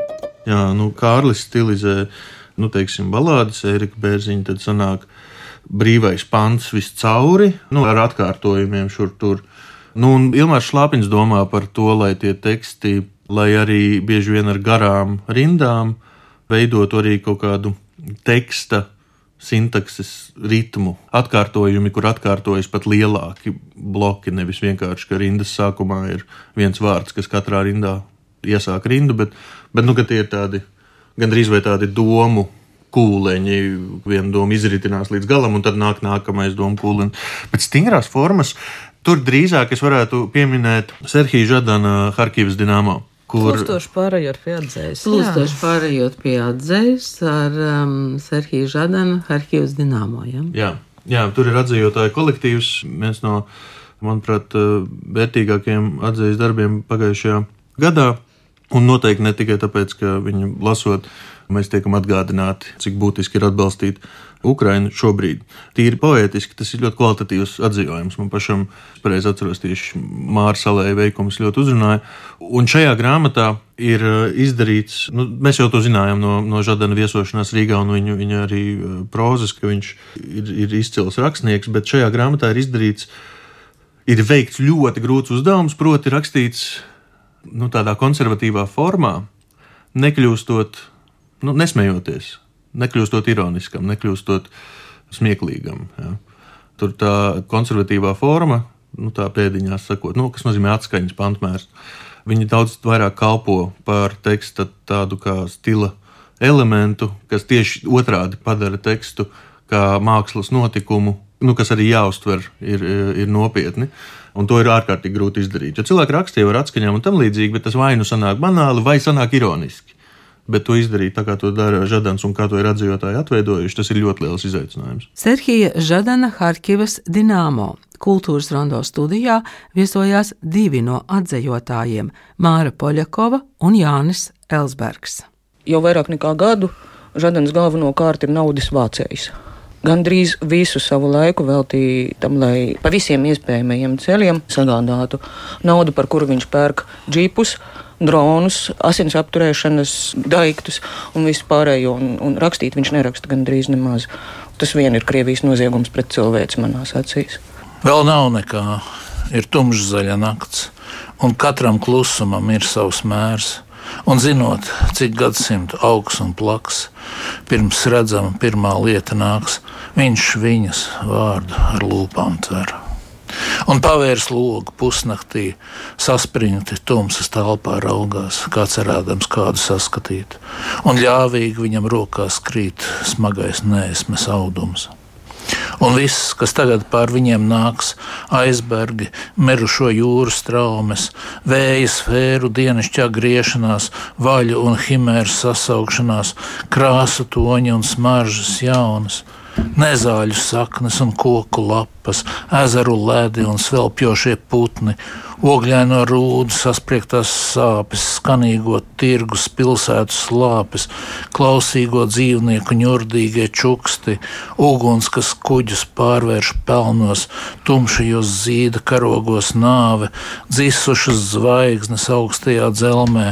Jā, nu, Kārlis stilizē, nu, teiksim, balādes, Ērika Bērziņa, tad sanāk brīvais pants viscauri, nu, ar atkārtojumiem šur tur. Nu, un Ilmārs Šlāpiņš domā par to, lai tie teksti, lai arī bieži vien ar garām rindām, veidot arī kaut kādu teksta sintakses ritmu, atkārtojumi, kur atkārtojas pat lielāki bloki, nevis vienkārši, ka rindas sākumā ir viens vārds, kas katrā rindā iesāk rindu, bet, bet nu, ka tie ir tādi, gandrīz vai tādi domu kūleņi, viena doma izritinās līdz galam, un tad nāk nākamais domu kūleņi. Bet stingrās formas, tur drīzāk es varētu pieminēt Serhija Žadana Harkivas Dinamo. Kur... Plūstoši pārējot pie atzējas. Plūstoši pārējot pie atzējas ar um, Serhiju Žadanu Harkivas Dinamo. Ja? Jā, jā, tur ir atzējotāju kolektīvs. Viens no, manuprāt, vērtīgākajiem atzējas darbiem pagājušajā gadā. Un noteikti ne tikai tāpēc, ka viņu lasot, mēs tiekam atgādināti, cik būtiski ir atbalstīt Ukrainu šobrīd. Tīri poētiski tas ir ļoti kvalitatīvs atzījums. Man pašam, pareizi atceros, tieši Māra Salēja veikums ļoti uzrunāja. Un šajā grāmatā ir izdarīts, nu, mēs jau to zinājām no, no Žadana viesošanās Rīgā un viņa, viņa arī prozas, ka viņš ir, ir izcils rakstnieks, bet šajā grāmatā ir izdarīts, ir veikts ļoti grūts uzdevums, proti rakstīts nu, tādā konservatīvā formā, nekļūstot, nu, nesmejoties, nekļūstot ironiskam, nekļūstot smieklīgam. Ja. Tur tā konservatīvā forma, nu, tā pēdiņās sakot, nu, kas nozīmē atskaņas pantmērs, viņi daudz vairāk kalpo par teksta tādu kā stila elementu, kas tieši otrādi padara tekstu kā mākslas notikumu, nu, kas arī jāuztver ir, ir nopietni. Un to ir ārkārtīgi grūti izdarīt. Jo cilvēki rakstīja ar atskaņām un tam līdzīgi, bet tas vai nu sanāk banāli, vai sanāk ironiski. Bet to izdarīt tā, kā to dara Žadans un kā to ir atzīvotāji atveidojuši, tas ir ļoti liels izaicinājums. Serhija Žadana Harkivas Dinamo kultūras rondo studijā viesojās divi no atzējotājiem – Māra Poļakova un Jānis Elsbergs. Jau vairāk nekā gadu Žadans galvenokārt ir naudas vācējs. Gandrīz visu savu laiku veltīja tam, lai pa visiem iespējamajiem ceļiem sagādātu naudu, par kuru viņš pērk džipus, dronus, asins apturēšanas daiktus un visu pārējo. Un, un rakstīt viņš neraksta gandrīz nemaz. Tas vien ir Krievijas noziegums pret cilvēci manās acīs. Vēl nav nekā. Ir tumšzaļa nakts, un katram klusumam ir savs mērs. Un zinot, cik gadsimtu augs un plaks, pirms redzama pirmā lieta nāks, viņš viņas vārdu ar lūpām tver. Un pavērs logu pusnaktī, saspringti tumsas telpā raugās, kā cerēdams kādu saskatīt, un ļāvīgi viņam rokās krīt smagais nēsmes audums. Un viss, kas tagad pār viņiem nāks, aizbergi, merušo jūru straumes, vēja sfēru dienasčā griešanās, vaļu un himēru sasaukšanās, krāsu toņi un smaržas jaunas, nezāļu saknes un koku lapas, ezeru ledi un svelpjošie putni, ogļaino rūdu saspriegtās sāpes, skanīgo tirgus pilsētu slāpes, klausīgo dzīvnieku ņurdīgie čuksti, uguns, kas kuģus pārvērš pelnos, tumšajos zīda karogos nāve, dzisušas zvaigznes augstajā dzelmē,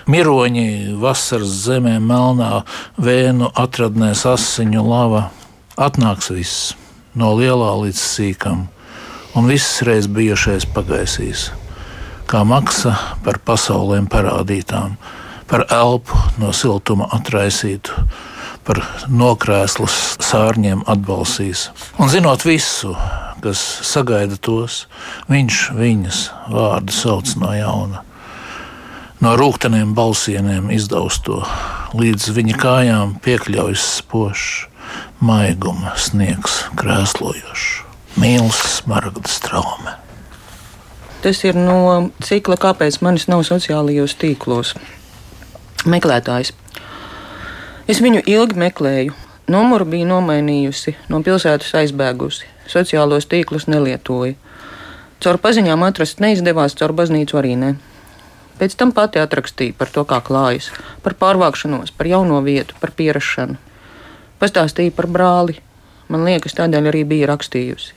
miroņi vasaras zemē melnā vēnu atradnēs asiņu lava. Atnāks viss, no lielā līdz sīkam, un viss reiz bijušais pagaisīs, kā maksa par pasaulēm parādītām, par elpu no siltuma atraisītu, par nokrēslas sārņiem atbalsīs. Un zinot visu, kas sagaida tos, viņš viņas vārdu sauc no jauna. No rūgteniem balsieniem izdausto, līdz viņa kājām piekļaujas spošs, maiguma sniegs krēslojošs, mīls smaragda straume. Tas ir no cikla Kāpēc manis nav sociālajos tīklos. Meklētājs. Es viņu ilgi meklēju. Numuru bija nomainījusi, no pilsētas aizbēgusi. Sociālos tīklus nelietoju. Caur paziņām atrast neizdevās, caur baznīcu arī ne. Pēc tam pati atrakstīju par to, kā klājas, par pārvākšanos, par jauno vietu, par pierašanu. Pastāstīja par brāli. Man liekas, tādēļ arī bija rakstījusi.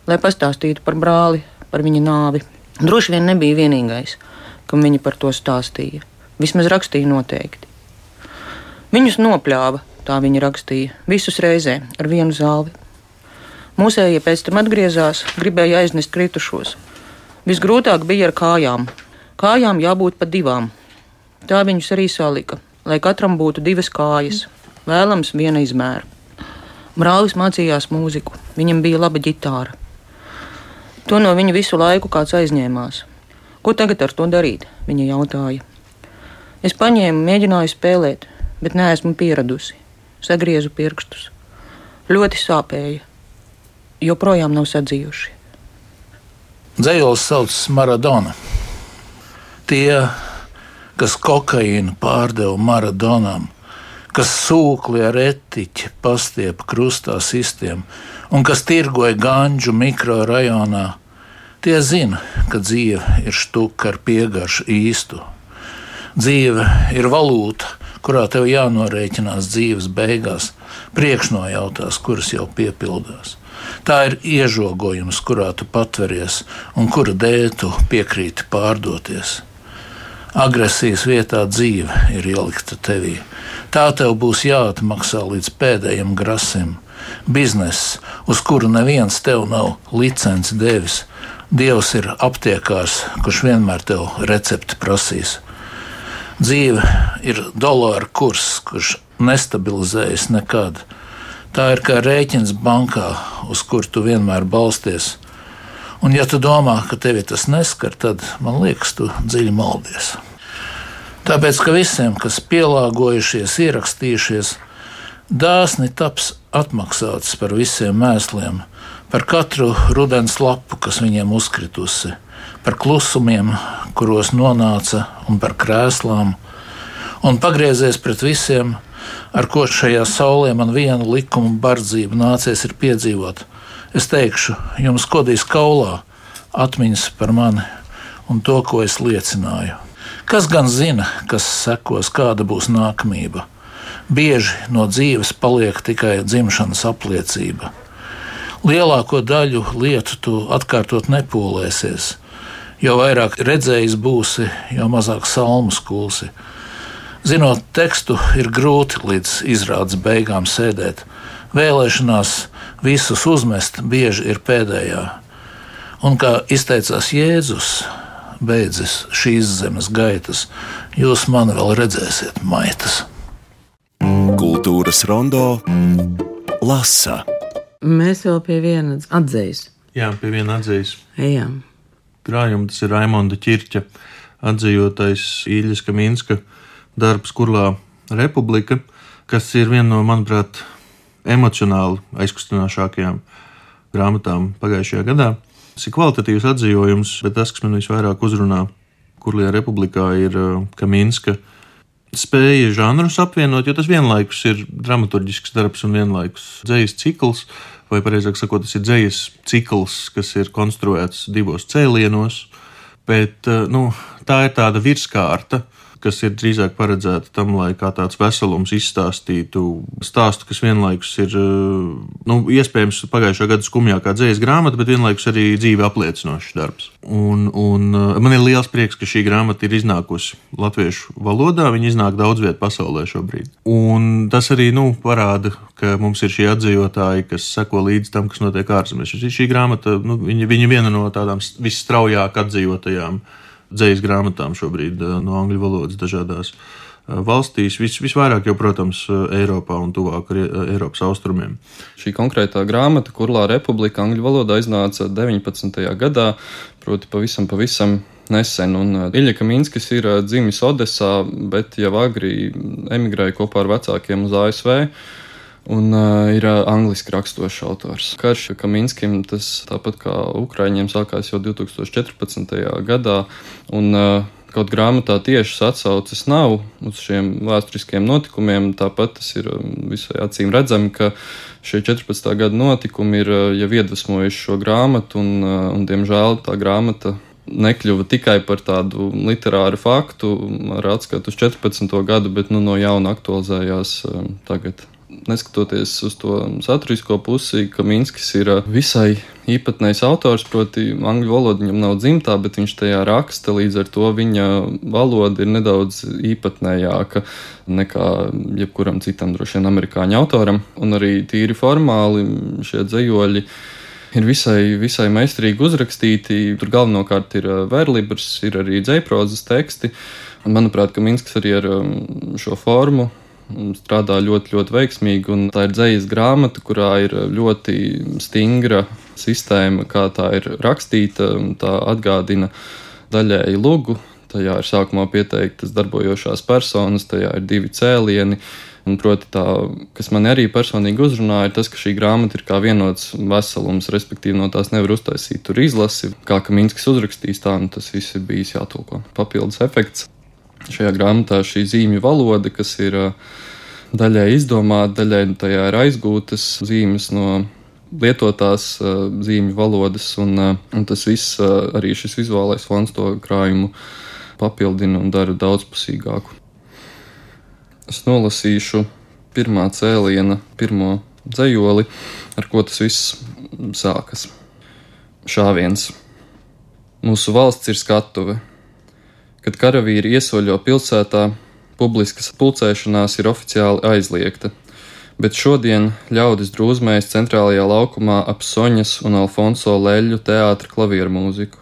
Lai pastāstītu par brāli, par viņa nāvi. Droši vien nebija vienīgais, kam viņa par to stāstīja. Vismaz rakstīja noteikti. Viņus nopļāva, tā viņa rakstīja, visus reizē, ar vienu zāli. Mūsējie pēc tam atgriezās, gribēja aiznest kritušos. Visgrūtāk bija ar kājām. Kājām jābūt pa divām. Tā viņus arī salika, lai katram būtu divas kājas. Vēlams viena izmēra. Brālis mācījās mūziku, viņam bija laba ģitāra. To no viņa visu laiku kāds aizņēmās. Ko tagad ar to darīt? Viņa jautāja. Es paņēmu, mēģināju spēlēt, bet neesmu pieradusi. Sagriezu pirkstus. Ļoti sāpēja. Joprojām nav sadzījuši. Dzejols sauc Maradona. Tie, kas kokaīnu pārdeva Maradonam, kas sūkli ar etiķi pastiepa krustā sistiem un kas tirgoja ganģu mikrorajonā, tie zina, ka dzīve ir štuka ar piegaršu īstu. Dzīve ir valūta, kurā tev jānorēķinās dzīves beigās, priekšnojautās, kuras jau piepildās. Tā ir iežogojums, kurā tu patveries un kura dēļ tu piekrīti pārdoties. Agresijas vietā dzīve ir ielikta tevī. Tā tev būs jāatmaksā līdz pēdējiem grasim. Bizness, uz kuru neviens tev nav licenci devis. Dievs ir aptiekārs, kurš vienmēr tev recepti prasīs. Dzīve ir dolāra kurs, kurš nestabilizējas nekad. Tā ir kā rēķins bankā, uz kur tu vienmēr balsties. Un ja tu domā, ka tevi tas neskar, tad, man liekas, tu dziļi maldies. Tāpēc, ka visiem, kas pielāgojušies, ierakstījušies, dāsni taps atmaksāts par visiem mēsliem, par katru rudens lapu, kas viņiem uzkritusi, par klusumiem, kuros nonāca, un par krēslām, un pagriezies pret visiem, ar ko šajā saulē man vienu likumu bardzību nācies ir piedzīvot. Es teikšu, jums kodīs kaulā atmiņas par mani un to, ko es liecināju. Kas gan zina, kas sekos, kāda būs nākamība? Bieži no dzīves paliek tikai dzimšanas apliecība. Lielāko daļu lietu tu atkārtot nepūlēsies. Jo vairāk redzējis būsi, jo mazāk salmas kulsi. Zinot tekstu, ir grūti līdz izrādes beigām sēdēt. Vēlēšanās visus uzmest bieži ir pēdējā. Un kā izteicās Jēzus, beidzas šīs zemes gaitas, jūs mani vēl redzēsiet maitas. Kultūras rondo lasa. Mēs vēl pie viena atzejas. Jā, pie viena atzejas. Ejam. Krājuma tas ir Raimonda Ķirķa atzejotais Īļas Kaminska darbs Kurlā Republika, kas ir viena no, manuprāt, emocionāli aizkustinošākajām grāmatām pagājušajā gadā. Tas ir kvalitatīvs atzījojums, bet tas, kas man visvairāk uzrunā Kurlajā Republikā, ir Kaminska spēja žanrus apvienot, jo tas vienlaikus ir dramaturģisks darbs un vienlaikus dzejas cikls, vai pareizāk sakot, tas ir dzejas cikls, kas ir konstruēts divos cēlienos, bet nu, tā ir tāda virskārta, kas ir drīzāk paredzēta tam, lai kā tāds veselums izstāstītu stāstu, kas vienlaikus ir, nu, iespējams pagājušā gada skumjākā dzejas grāmata, bet vienlaikus arī dzīve apliecinošs darbs. Un, un man ir liels prieks, ka šī grāmata ir iznākusi latviešu valodā, viņa iznāk daudz viet pasaulē šobrīd. Un tas arī, nu, parāda, ka mums ir šie atzejotāji, kas seko līdz tam, kas notiek ārzemēs. Šī grāmata, nu, viņa, viņa viena no tādām visstraujāk atzejotajām dzejas grāmatām šobrīd no angļu valodas dažādās valstīs. Vis, visvairāk jau, protams, Eiropā un tuvāk Eiropas austrumiem. Šī konkrētā grāmata, Kurlā Republika, angļu valodā iznāca deviņpadsmitajā gadā, proti pavisam, pavisam nesen. Un Iļja Kaminskis ir dzimis Odesā, bet jau agri emigrēja kopā ar vecākiem uz A S V. Un uh, ir uh, angliski rakstošs autors. Karš Kaminskim tas tāpat kā Ukraiņiem sākās jau divtūkstoš četrpadsmitajā gadā, un uh, kaut grāmatā tiešas atsauces nav uz šiem vēsturiskiem notikumiem, tāpat tas ir visai acīm redzami, ka šie četrpadsmitā gada notikumi ir uh, jau iedvesmojuši šo grāmatu, un, uh, un diemžēl tā grāmata nekļuva tikai par tādu literāru faktu ar atskatu uz četrpadsmito gadu, bet nu, no jauna aktualizējās uh, tagad. Neskatoties uz to saturisko pusi, Kaminskis ir visai īpatnējs autors, proti angļu valoda viņam nav dzimtā, bet viņš tajā raksta, līdz ar to viņa valoda ir nedaudz īpatnējāka nekā jebkuram citam droši vien amerikāņu autoram. Un arī tīri formāli šie dzejoļi ir visai, visai meistarīgi uzrakstīti. Tur galvenokārt ir verlibrs, ir arī dzejprozas teksti. Un, manuprāt, Kaminskis arī ar šo formu strādā ļoti, ļoti veiksmīgi, un tā ir dzejas grāmata, kurā ir ļoti stingra sistēma, kā tā ir rakstīta, un tā atgādina daļēji lugu. Tajā ir sākumā pieteiktas darbojošās personas, tajā ir divi cēlieni, un proti tā, kas man arī personīgi uzrunāja, ir tas, ka šī grāmata ir kā vienots veselums, respektīvi no tās nevar uztaisīt tur izlasi, kā Kaminskis uzrakstīs tā, un tas viss ir bijis jātulko. Papildus efekts. Šajā grāmatā šī zīmju valoda, kas ir daļai izdomāta, daļai tajā ir aizgūtas zīmes no lietotās zīmju valodas, un, un tas viss, arī šis vizuālais fons to krājumu papildinu un daru daudzpusīgāku. Es nolasīšu pirmā cēliena, pirmo dzejoli, ar ko tas viss sākas. Šāviens. Mūsu valsts ir skatuve. Kad karavīri iesoļo pilsētā, publiskas pulcēšanās ir oficiāli aizliegta, bet šodien ļaudis drūzmējas centrālajā laukumā ap Soņas un Alfonso Leļu teātra klavieru mūziku.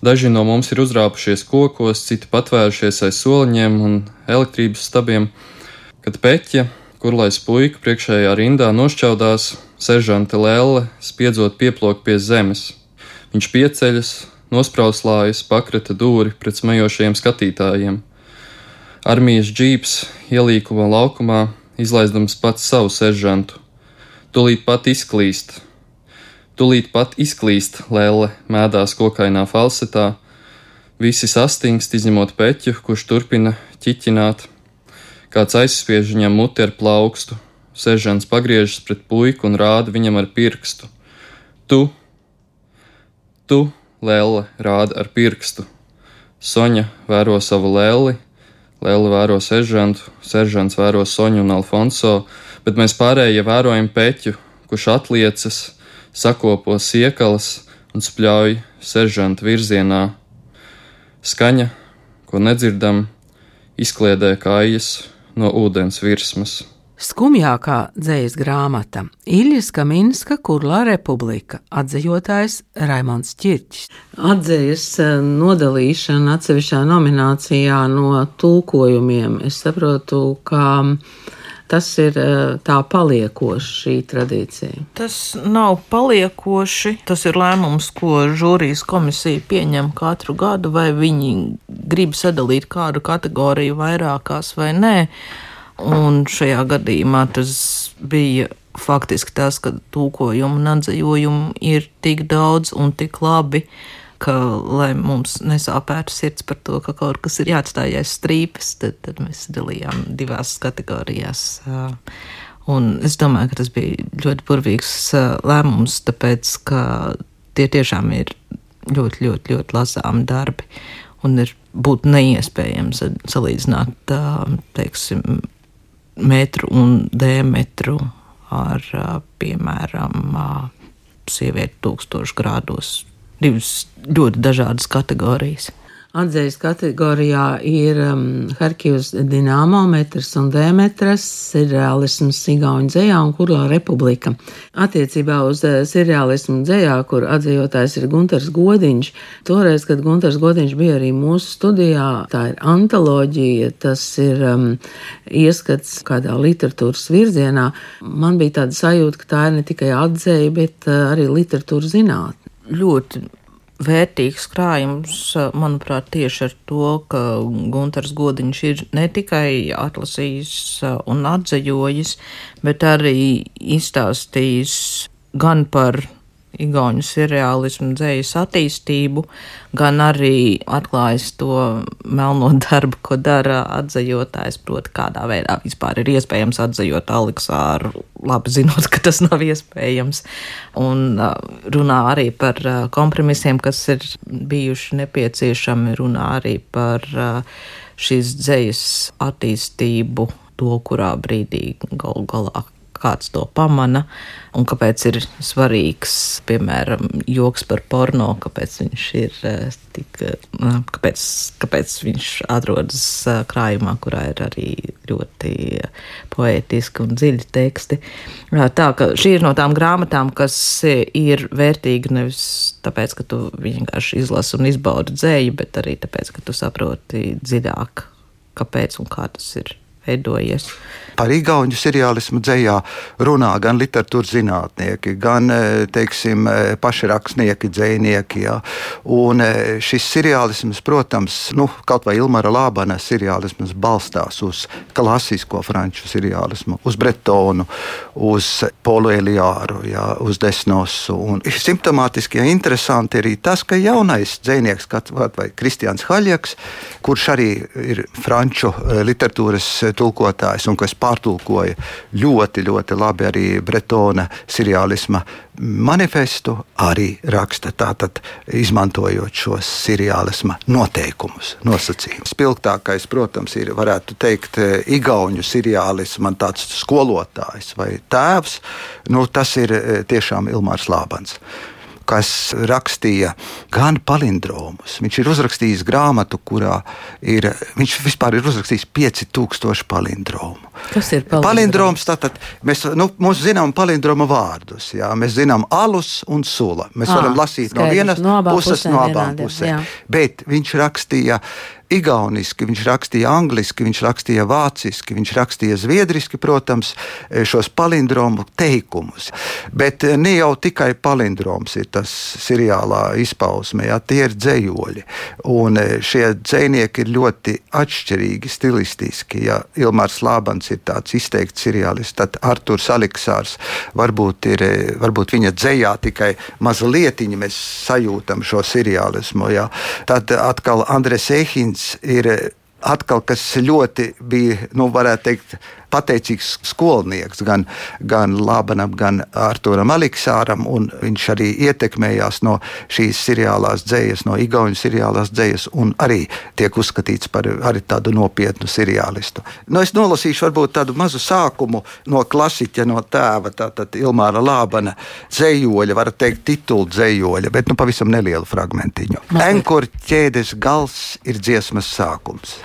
Daži no mums ir uzrāpušies kokos, citi patvērušies aiz soliņiem un elektrības stabiem, kad Peķa, kurlais puika priekšējā rindā nošķaudās, seržante Lelle spiedzot pieplok pie zemes. Viņš pieceļas, nosprauslājas, pakrata dūri pret smejošajiem skatītājiem. Armijas džīps ielīkuma laukumā, izlaizdams pats savu seržantu. Tulīt pat izklīst. Tulīt pat izklīst, Lelle mēdās kokainā falsetā. Visi sastingst, izņemot Peķu, kurš turpina ķiķināt. Kāds aizspiež viņam muti ar plaukstu. Seržants pagriežas pret puiku un rāda viņam ar pirkstu. Tu, tu, Lelle rāda ar pirkstu. Soņa vēro savu Lelli, Lelle vēro seržantu, seržants vēro Soņu un Alfonso, bet mēs pārējie vērojam Peķu, kurš atliecas, sakopo siekalas un spļauj seržanta virzienā. Skaņa, ko nedzirdam, izkliedē kājas no ūdens virsmas. Skumjākā dzejas grāmata Iļjas Kaminska Kurlā republika, atzejotājs Raimonds Ķirķis. Atzejas nodalīšana atsevišķā nominācijā no tulkojumiem. Es saprotu, ka tas ir tā paliekoši šī tradīcija. Tas nav paliekoši, tas ir lēmums, ko žūrijas komisija pieņem katru gadu, vai viņi grib sadalīt kādu kategoriju vairākās vai nē. Un šajā gadījumā tas bija faktiski tas, ka tulkojumu un atzejojumu ir tik daudz un tik labi, ka, lai mums nesāpētu sirds par to, ka kaut kas ir jāatstāj aiz strīpes, tad, tad mēs dalījām divās kategorijās. Un es domāju, ka tas bija ļoti burvīgs lēmums, tāpēc, ka tie tiešām ir ļoti, ļoti, ļoti lasāmi darbi. Un ir būtu neiespējams salīdzināt, teiksim, metru un diametru ar, piemēram, sievieti tūkstošu grādos. Divas ļoti dažādas kategorijas. Atzejas kategorijā ir um, Harkivas Dinamo, metrs un diametrs, sirreālisms Igauņu dzejā un Kurlā republika. Attiecībā uz uh, sirreālismu dzejā, kur atzejotājs ir Guntars Godiņš, toreiz, kad Guntars Godiņš bija arī mūsu studijā, tā ir antoloģija, tas ir um, ieskats kādā literatūras virzienā. Man bija tāda sajūta, ka tā ir ne tikai atzeja, bet uh, arī literatūra zinātne. Ļoti vērtīgs krājums, manuprāt, tieši ar to, ka Guntars Godiņš ir ne tikai atlasījis un atzejojis, bet arī izstāstījis gan par igauņu sirreālismu dzejas attīstību, gan arī atklājis to melno darbu, ko dara atzejotājs, proti kādā veidā vispār ir iespējams atzejot Aleksāru, labi zinot, ka tas nav iespējams, un runā arī par kompromisiem, kas ir bijuši nepieciešami, runā arī par šīs dzejas attīstību, to, kurā brīdī galu galā kāds to pamana, un kāpēc ir svarīgs, piemēram, joks par porno, kāpēc viņš ir tik, kāpēc, kāpēc viņš atrodas krājumā, kurā ir arī ļoti poētiski un dziļi teksti. Tā, ka šī ir no tām grāmatām, kas ir vērtīga nevis tāpēc, ka tu vienkārši izlasi un izbaudi dzēju, bet arī tāpēc, ka tu saproti dziļāk, kāpēc un kā tas ir veidojies. Par igauņu sirreālismu dzejā runā gan literatūras zinātnieki, gan, teiksim, pašrakstnieki, dzejnieki. Ja. Un šis sirreālisms, protams, nu, kaut vai Ilmara Lābana sirreālisms balstās uz klasisko franču sirreālismu, uz Bretonu, uz Polu Eliāru, ja, uz Desnosu. Un simptomātiski ja interesanti arī tas, ka jaunais dzejnieks, vai Kristians Haļjaks, kurš arī ir franču literatūras tulkotājs un kas pārtulkoja ļoti, ļoti labi arī Bretona seriālisma manifestu, arī raksta tātad, izmantojot šos seriālisma noteikumus, nosacījumus. Spilgtākais, protams, ir, varētu teikt, igauņu seriālisma tāds skolotājs vai tēvs, nu tas ir tiešām Ilmārs Lābans, kas rakstīja gan palindromus. Viņš ir uzrakstījis grāmatu, kurā ir, viņš vispār ir uzrakstījis pieci tūkstoši palindromu. Kas ir palindroms? Palindroms, tātad, mēs, nu, mums zinām palindroma vārdus, jā, mēs zinām alus un sula. Mēs à, varam lasīt skaidrs, no vienas no puses, pusēm, no abām vienādiem, pusēm. jā. Bet viņš rakstīja igauniski, viņš rakstīja angliski, viņš rakstīja vāciski, viņš rakstīja zviedriski, protams, šos palindromu teikumus. Bet ne jau tikai palindroms ir tas seriālā izpausme, jā, tie ir dzējoļi. Un šie dzējnieki ir ļoti atšķirīgi stilistiski. Ja Ilmārs Lābans ir tāds izteikts seriālists, tad Arturs Aleksārs varbūt ir, varbūt viņa dzējā tikai mazlietiņi mēs sajūtam šo seriālismu, jā. Tad atkal Andres Ehins ir atkal, kas ļoti bija, nu, varētu teikt, pateicīgs skolnieks gan, gan Lābanam, gan Arturam Aleksāram, un viņš arī ietekmējās no šīs seriālās dzējas, no igauņu seriālās dzējas, un arī tiek uzskatīts par arī tādu nopietnu seriālistu. Nu, es nolasīšu varbūt tādu mazu sākumu no klasiķa, no tēva, tātad Ilmāra Lābana dzējoļa, var teikt titulu dzējoļa, bet nu pavisam nelielu fragmentiņu. Enkur ķēdes gals ir dziesmas sākums.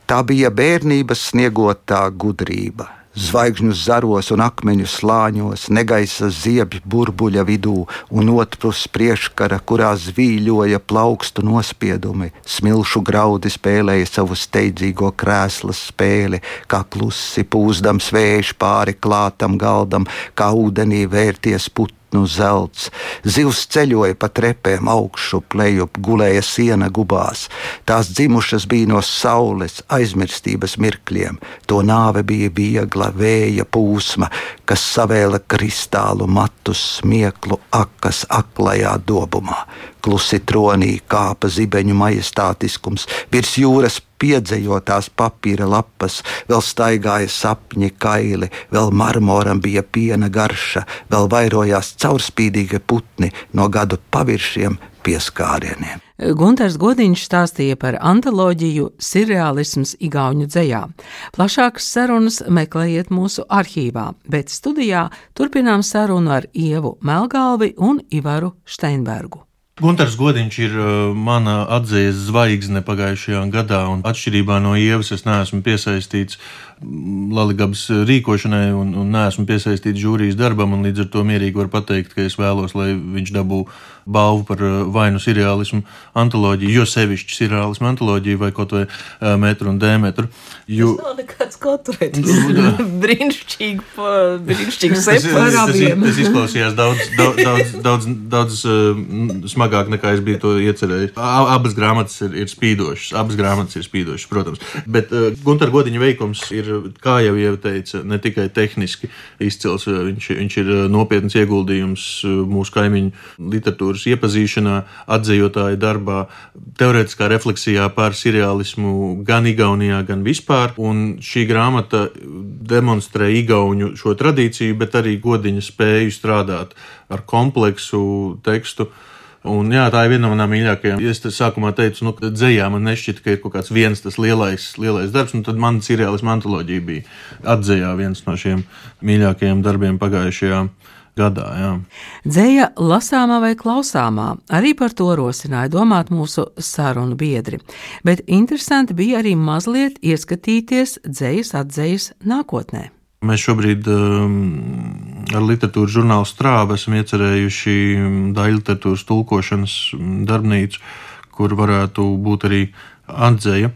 Tā bija bērnības sniegotā gudrība. Zvaigžņu zaros un akmeņu slāņos, negaisa ziebju burbuļa vidū un otrpus priekškara, kurā zvīļoja plaukstu nospiedumi. Smilšu graudi spēlēja savu steidzīgo krēslas spēli, kā klusi pūzdams vējš pāri klātam galdam, kā ūdenī vērties putni. Nu zelts. Zivs ceļoja pa trepēm augšu, plejup, gulēja siena gubās. Tās dzimušas bija no saules aizmirstības mirkļiem. To nāve bija viegla vēja pūsma, kas savēla kristālu matus smieklu akas aklajā dobumā. Klusi tronī kāpa zibeņu majestātiskums, virs jūras piedzējotās papīra lapas, vēl staigāja sapņi kaili, vēl marmoram bija piena garša, vēl vairojās caurspīdīgi putni no gadu paviršiem pieskārieniem. Guntars Godiņš stāstīja par antoloģiju Seriālisms igauņu dzejā. Plašākas sarunas meklējiet mūsu arhīvā, bet studijā turpinām sarunu ar Ievu Melgalvi un Ivaru Steinbergu. Guntars Godiņš ir mana atzīves zvaigzne pagājušajā gadā, un atšķirībā no Ievas es neesmu piesaistīts Laligabas rīkošanai un, un neesmu piesaistīts žūrijas darbam, un līdz ar to mierīgi var pateikt, ka es vēlos, lai viņš dabū balvu par vainu seriālismu antoloģiju, jo sevišķi seriālismu antoloģiju vai kaut vai metru un dēmetru. Jo... Tas nav nekāds kotrētis. Brīnišķīgi, brīnišķīgi separābiem. Tas izklausījās daudz, daudz, daudz, daudz, daudz uh, smagāk nekā es biju to iecerējis. Abas grāmatas ir, ir spīdošas, abas grāmatas ir spīdošas, protams. Bet uh, Guntar Godiņa veikums ir, kā jau Ieva teica, ne tikai tehniski izcils, viņš, viņš ir nopietns ieguldījums mūsu kaimiņu literatūras iepazīšanā, atzījotāja darbā, teorētiskā refleksijā par seriālismu gan Igaunijā, gan vispār, un šī grāmata demonstrē igauņu šo tradīciju, bet arī Godiņa spēju strādāt ar kompleksu tekstu. Un, jā, tā ir viena no manām mīļākajām. Es sākumā teicu, nu, ka dzejā man nešķita, ka ir kaut kāds viens tas lielais, lielais darbs, un tad man seriālisma antoloģija bija atzejā viens no šiem mīļākajiem darbiem pagājušajā gadā. Jā. Dzeja lasāmā vai klausāmā, arī par to rosināja domāt mūsu sarunu biedri. Bet interesanti bija arī mazliet ieskatīties dzejas atdzejas nākotnē. Mēs šobrīd um, ar literatūras žurnālu Strāva esam iecerējuši daļu literatūras tulkošanas darbnīcu, kur varētu būt arī atdzeja.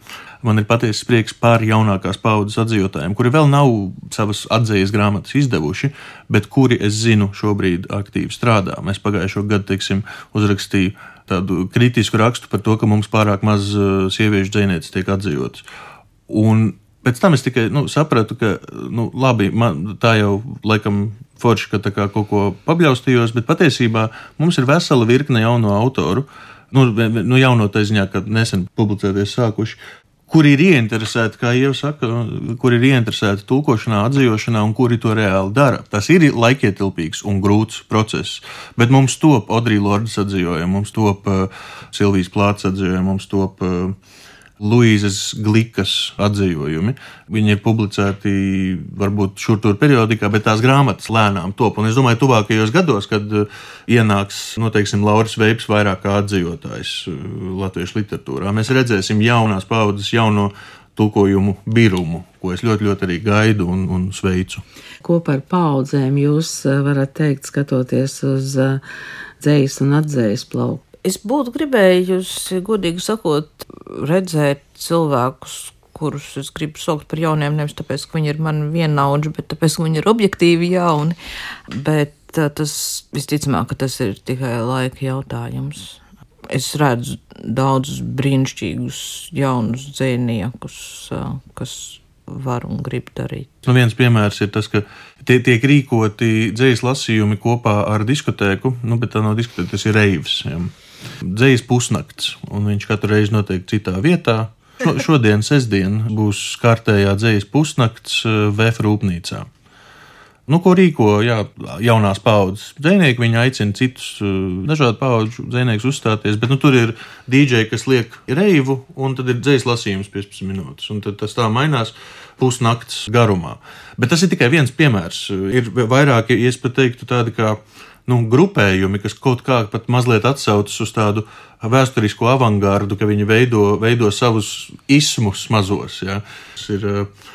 Man ir patiesas prieks par jaunākās paudzes atzījotājiem, kuri vēl nav savas atdzejas grāmatas izdevuši, bet kuri, es zinu, šobrīd aktīvi strādā. Mēs pagājušo gadu, teiksim, uzrakstīju tādu kritisku rakstu par to, ka mums pārāk maz sieviešu dzejnieces tiek atzījotas. Un pēc tam es tikai nu, sapratu, ka nu, labi, man, tā jau laikam forši, ka tā kā kaut ko pabļaustījos, bet patiesībā mums ir vesela virkne jauno autoru, nu, nu jauno tā ziņā, ka nesen publicēties sākuši, kuri ir ieinteresēti, kā jau saka, kuri ir ieinteresēti tulkošanā, atzīšanā un kuri to reāli dara. Tas ir laikietilpīgs un grūts process, bet mums top Audrey Lordas atzīšana, mums top uh, Silvijas Plāts atzīšana, mums top uh, Luīzes Glikas atzīšojumi. Viņi ir publicēti varbūt šur tur periodikā, bet tās grāmatas lēnām top. Un es domāju, tuvākajos gados, kad ienāks, noteiksim, Lauris Veips vairāk kā atzīvotājs latviešu literatūrā, mēs redzēsim jaunās paudzes, jauno tulkojumu birumu, ko es ļoti, ļoti arī gaidu un, un sveicu. Ko par paudzēm jūs varat teikt, skatoties uz dzejas un atzējas plauku? Es būtu gribējusi, godīgi sakot, redzēt cilvēkus, kurus es gribu saukt par jauniem, nevis tāpēc, ka viņi ir man vienaudži, bet tāpēc, ka viņi ir objektīvi jauni. Bet tas visticamāk, ka tas ir tikai laika jautājums. Es redzu daudzus brīnišķīgus jaunus dzejniekus, kas var un grib darīt. Nu, viens piemērs ir tas, ka tie, tiek rīkoti dzejas lasījumi kopā ar diskotēku, nu, bet tā nav diskotēka, tas ir reivs. Ja. Dzejas pusnakts, un viņš katru reizi notiek citā vietā. Šo, šodien, sestdien, būs kārtējā dzejas pusnakts V F rūpnīcā. Nu, ko rīko jā, jaunās paudzes dzejnieki, viņi aicina citus dažādu paudžu dzejniekus uzstāties, bet nu, tur ir D J, kas liek reivu, un tad ir dzejas lasījums piecpadsmit minūtes, un tad tas tā mainās pusnakts garumā. Bet tas ir tikai viens piemērs. Ir vairāki, ja es pat teiktu, tādi kā nu, grupējumi, kas kaut kā pat mazliet atsaucas uz tādu vēsturisko avangardu, ka viņi veido, veido savus ismus mazos. Ja. Tas ir uh,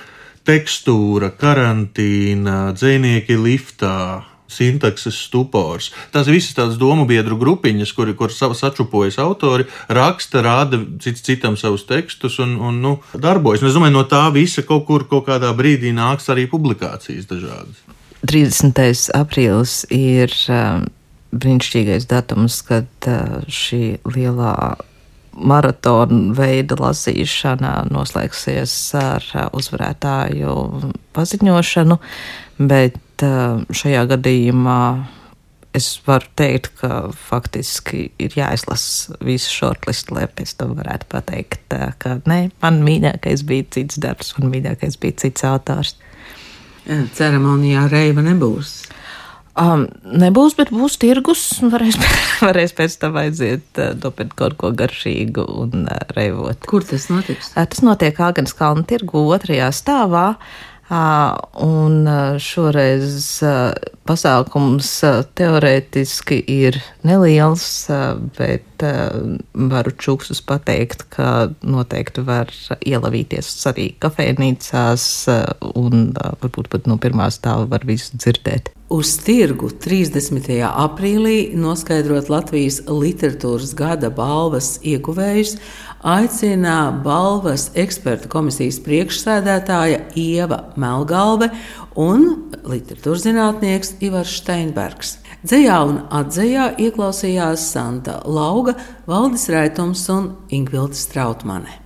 tekstūra, karantīna, dzejnieki liftā, sintakses stupors. Tās visas tādas domu biedru grupiņas, kuri, kur sačupojas autori, raksta, rāda cits citam savus tekstus un, un nu, darbojas. Un es domāju, no tā visa kaut kur kaut kādā brīdī nāks arī publikācijas dažādas. trīsdesmitais aprīlis ir uh, brīnišķīgais datums, kad uh, šī lielā maratona veida lasīšana noslēgsies ar uh, uzvarētāju paziņošanu, bet uh, šajā gadījumā es varu teikt, ka faktiski ir jāizlasa visu shortlistu, lai pēc tam varētu pateikt, uh, ka nē, man mīļākais bija cits darbs, man mīļākais bija cits autors. Ceremonijā reiva nebūs. Um, nebūs, bet būs tirgus. Varēs, varēs pēc tam aiziet uh, dopēt kaut ko garšīgu un uh, reivot. Kur tas notiks? Uh, tas notiek Āgans kalna tirgu otrajā stāvā. Uh, un uh, šoreiz uh, pasākums uh, teorētiski ir neliels, uh, bet uh, varu čuksus pateikt, ka noteikti var ielavīties arī kafejnīcās uh, un uh, varbūt pat no pirmā stāva var visu dzirdēt. Uz tirgu trīsdesmitajā aprīlī noskaidrot Latvijas literatūras gada balvas ieguvējus aicina balvas ekspertu komisijas priekšsēdētāja Ieva Melgalve un literatūras zinātnieks Ivars Steinbergs. Dzejā un atzejā ieklausījās Santa Lauga, Valdis Raitums un Ingvilde Strautmane.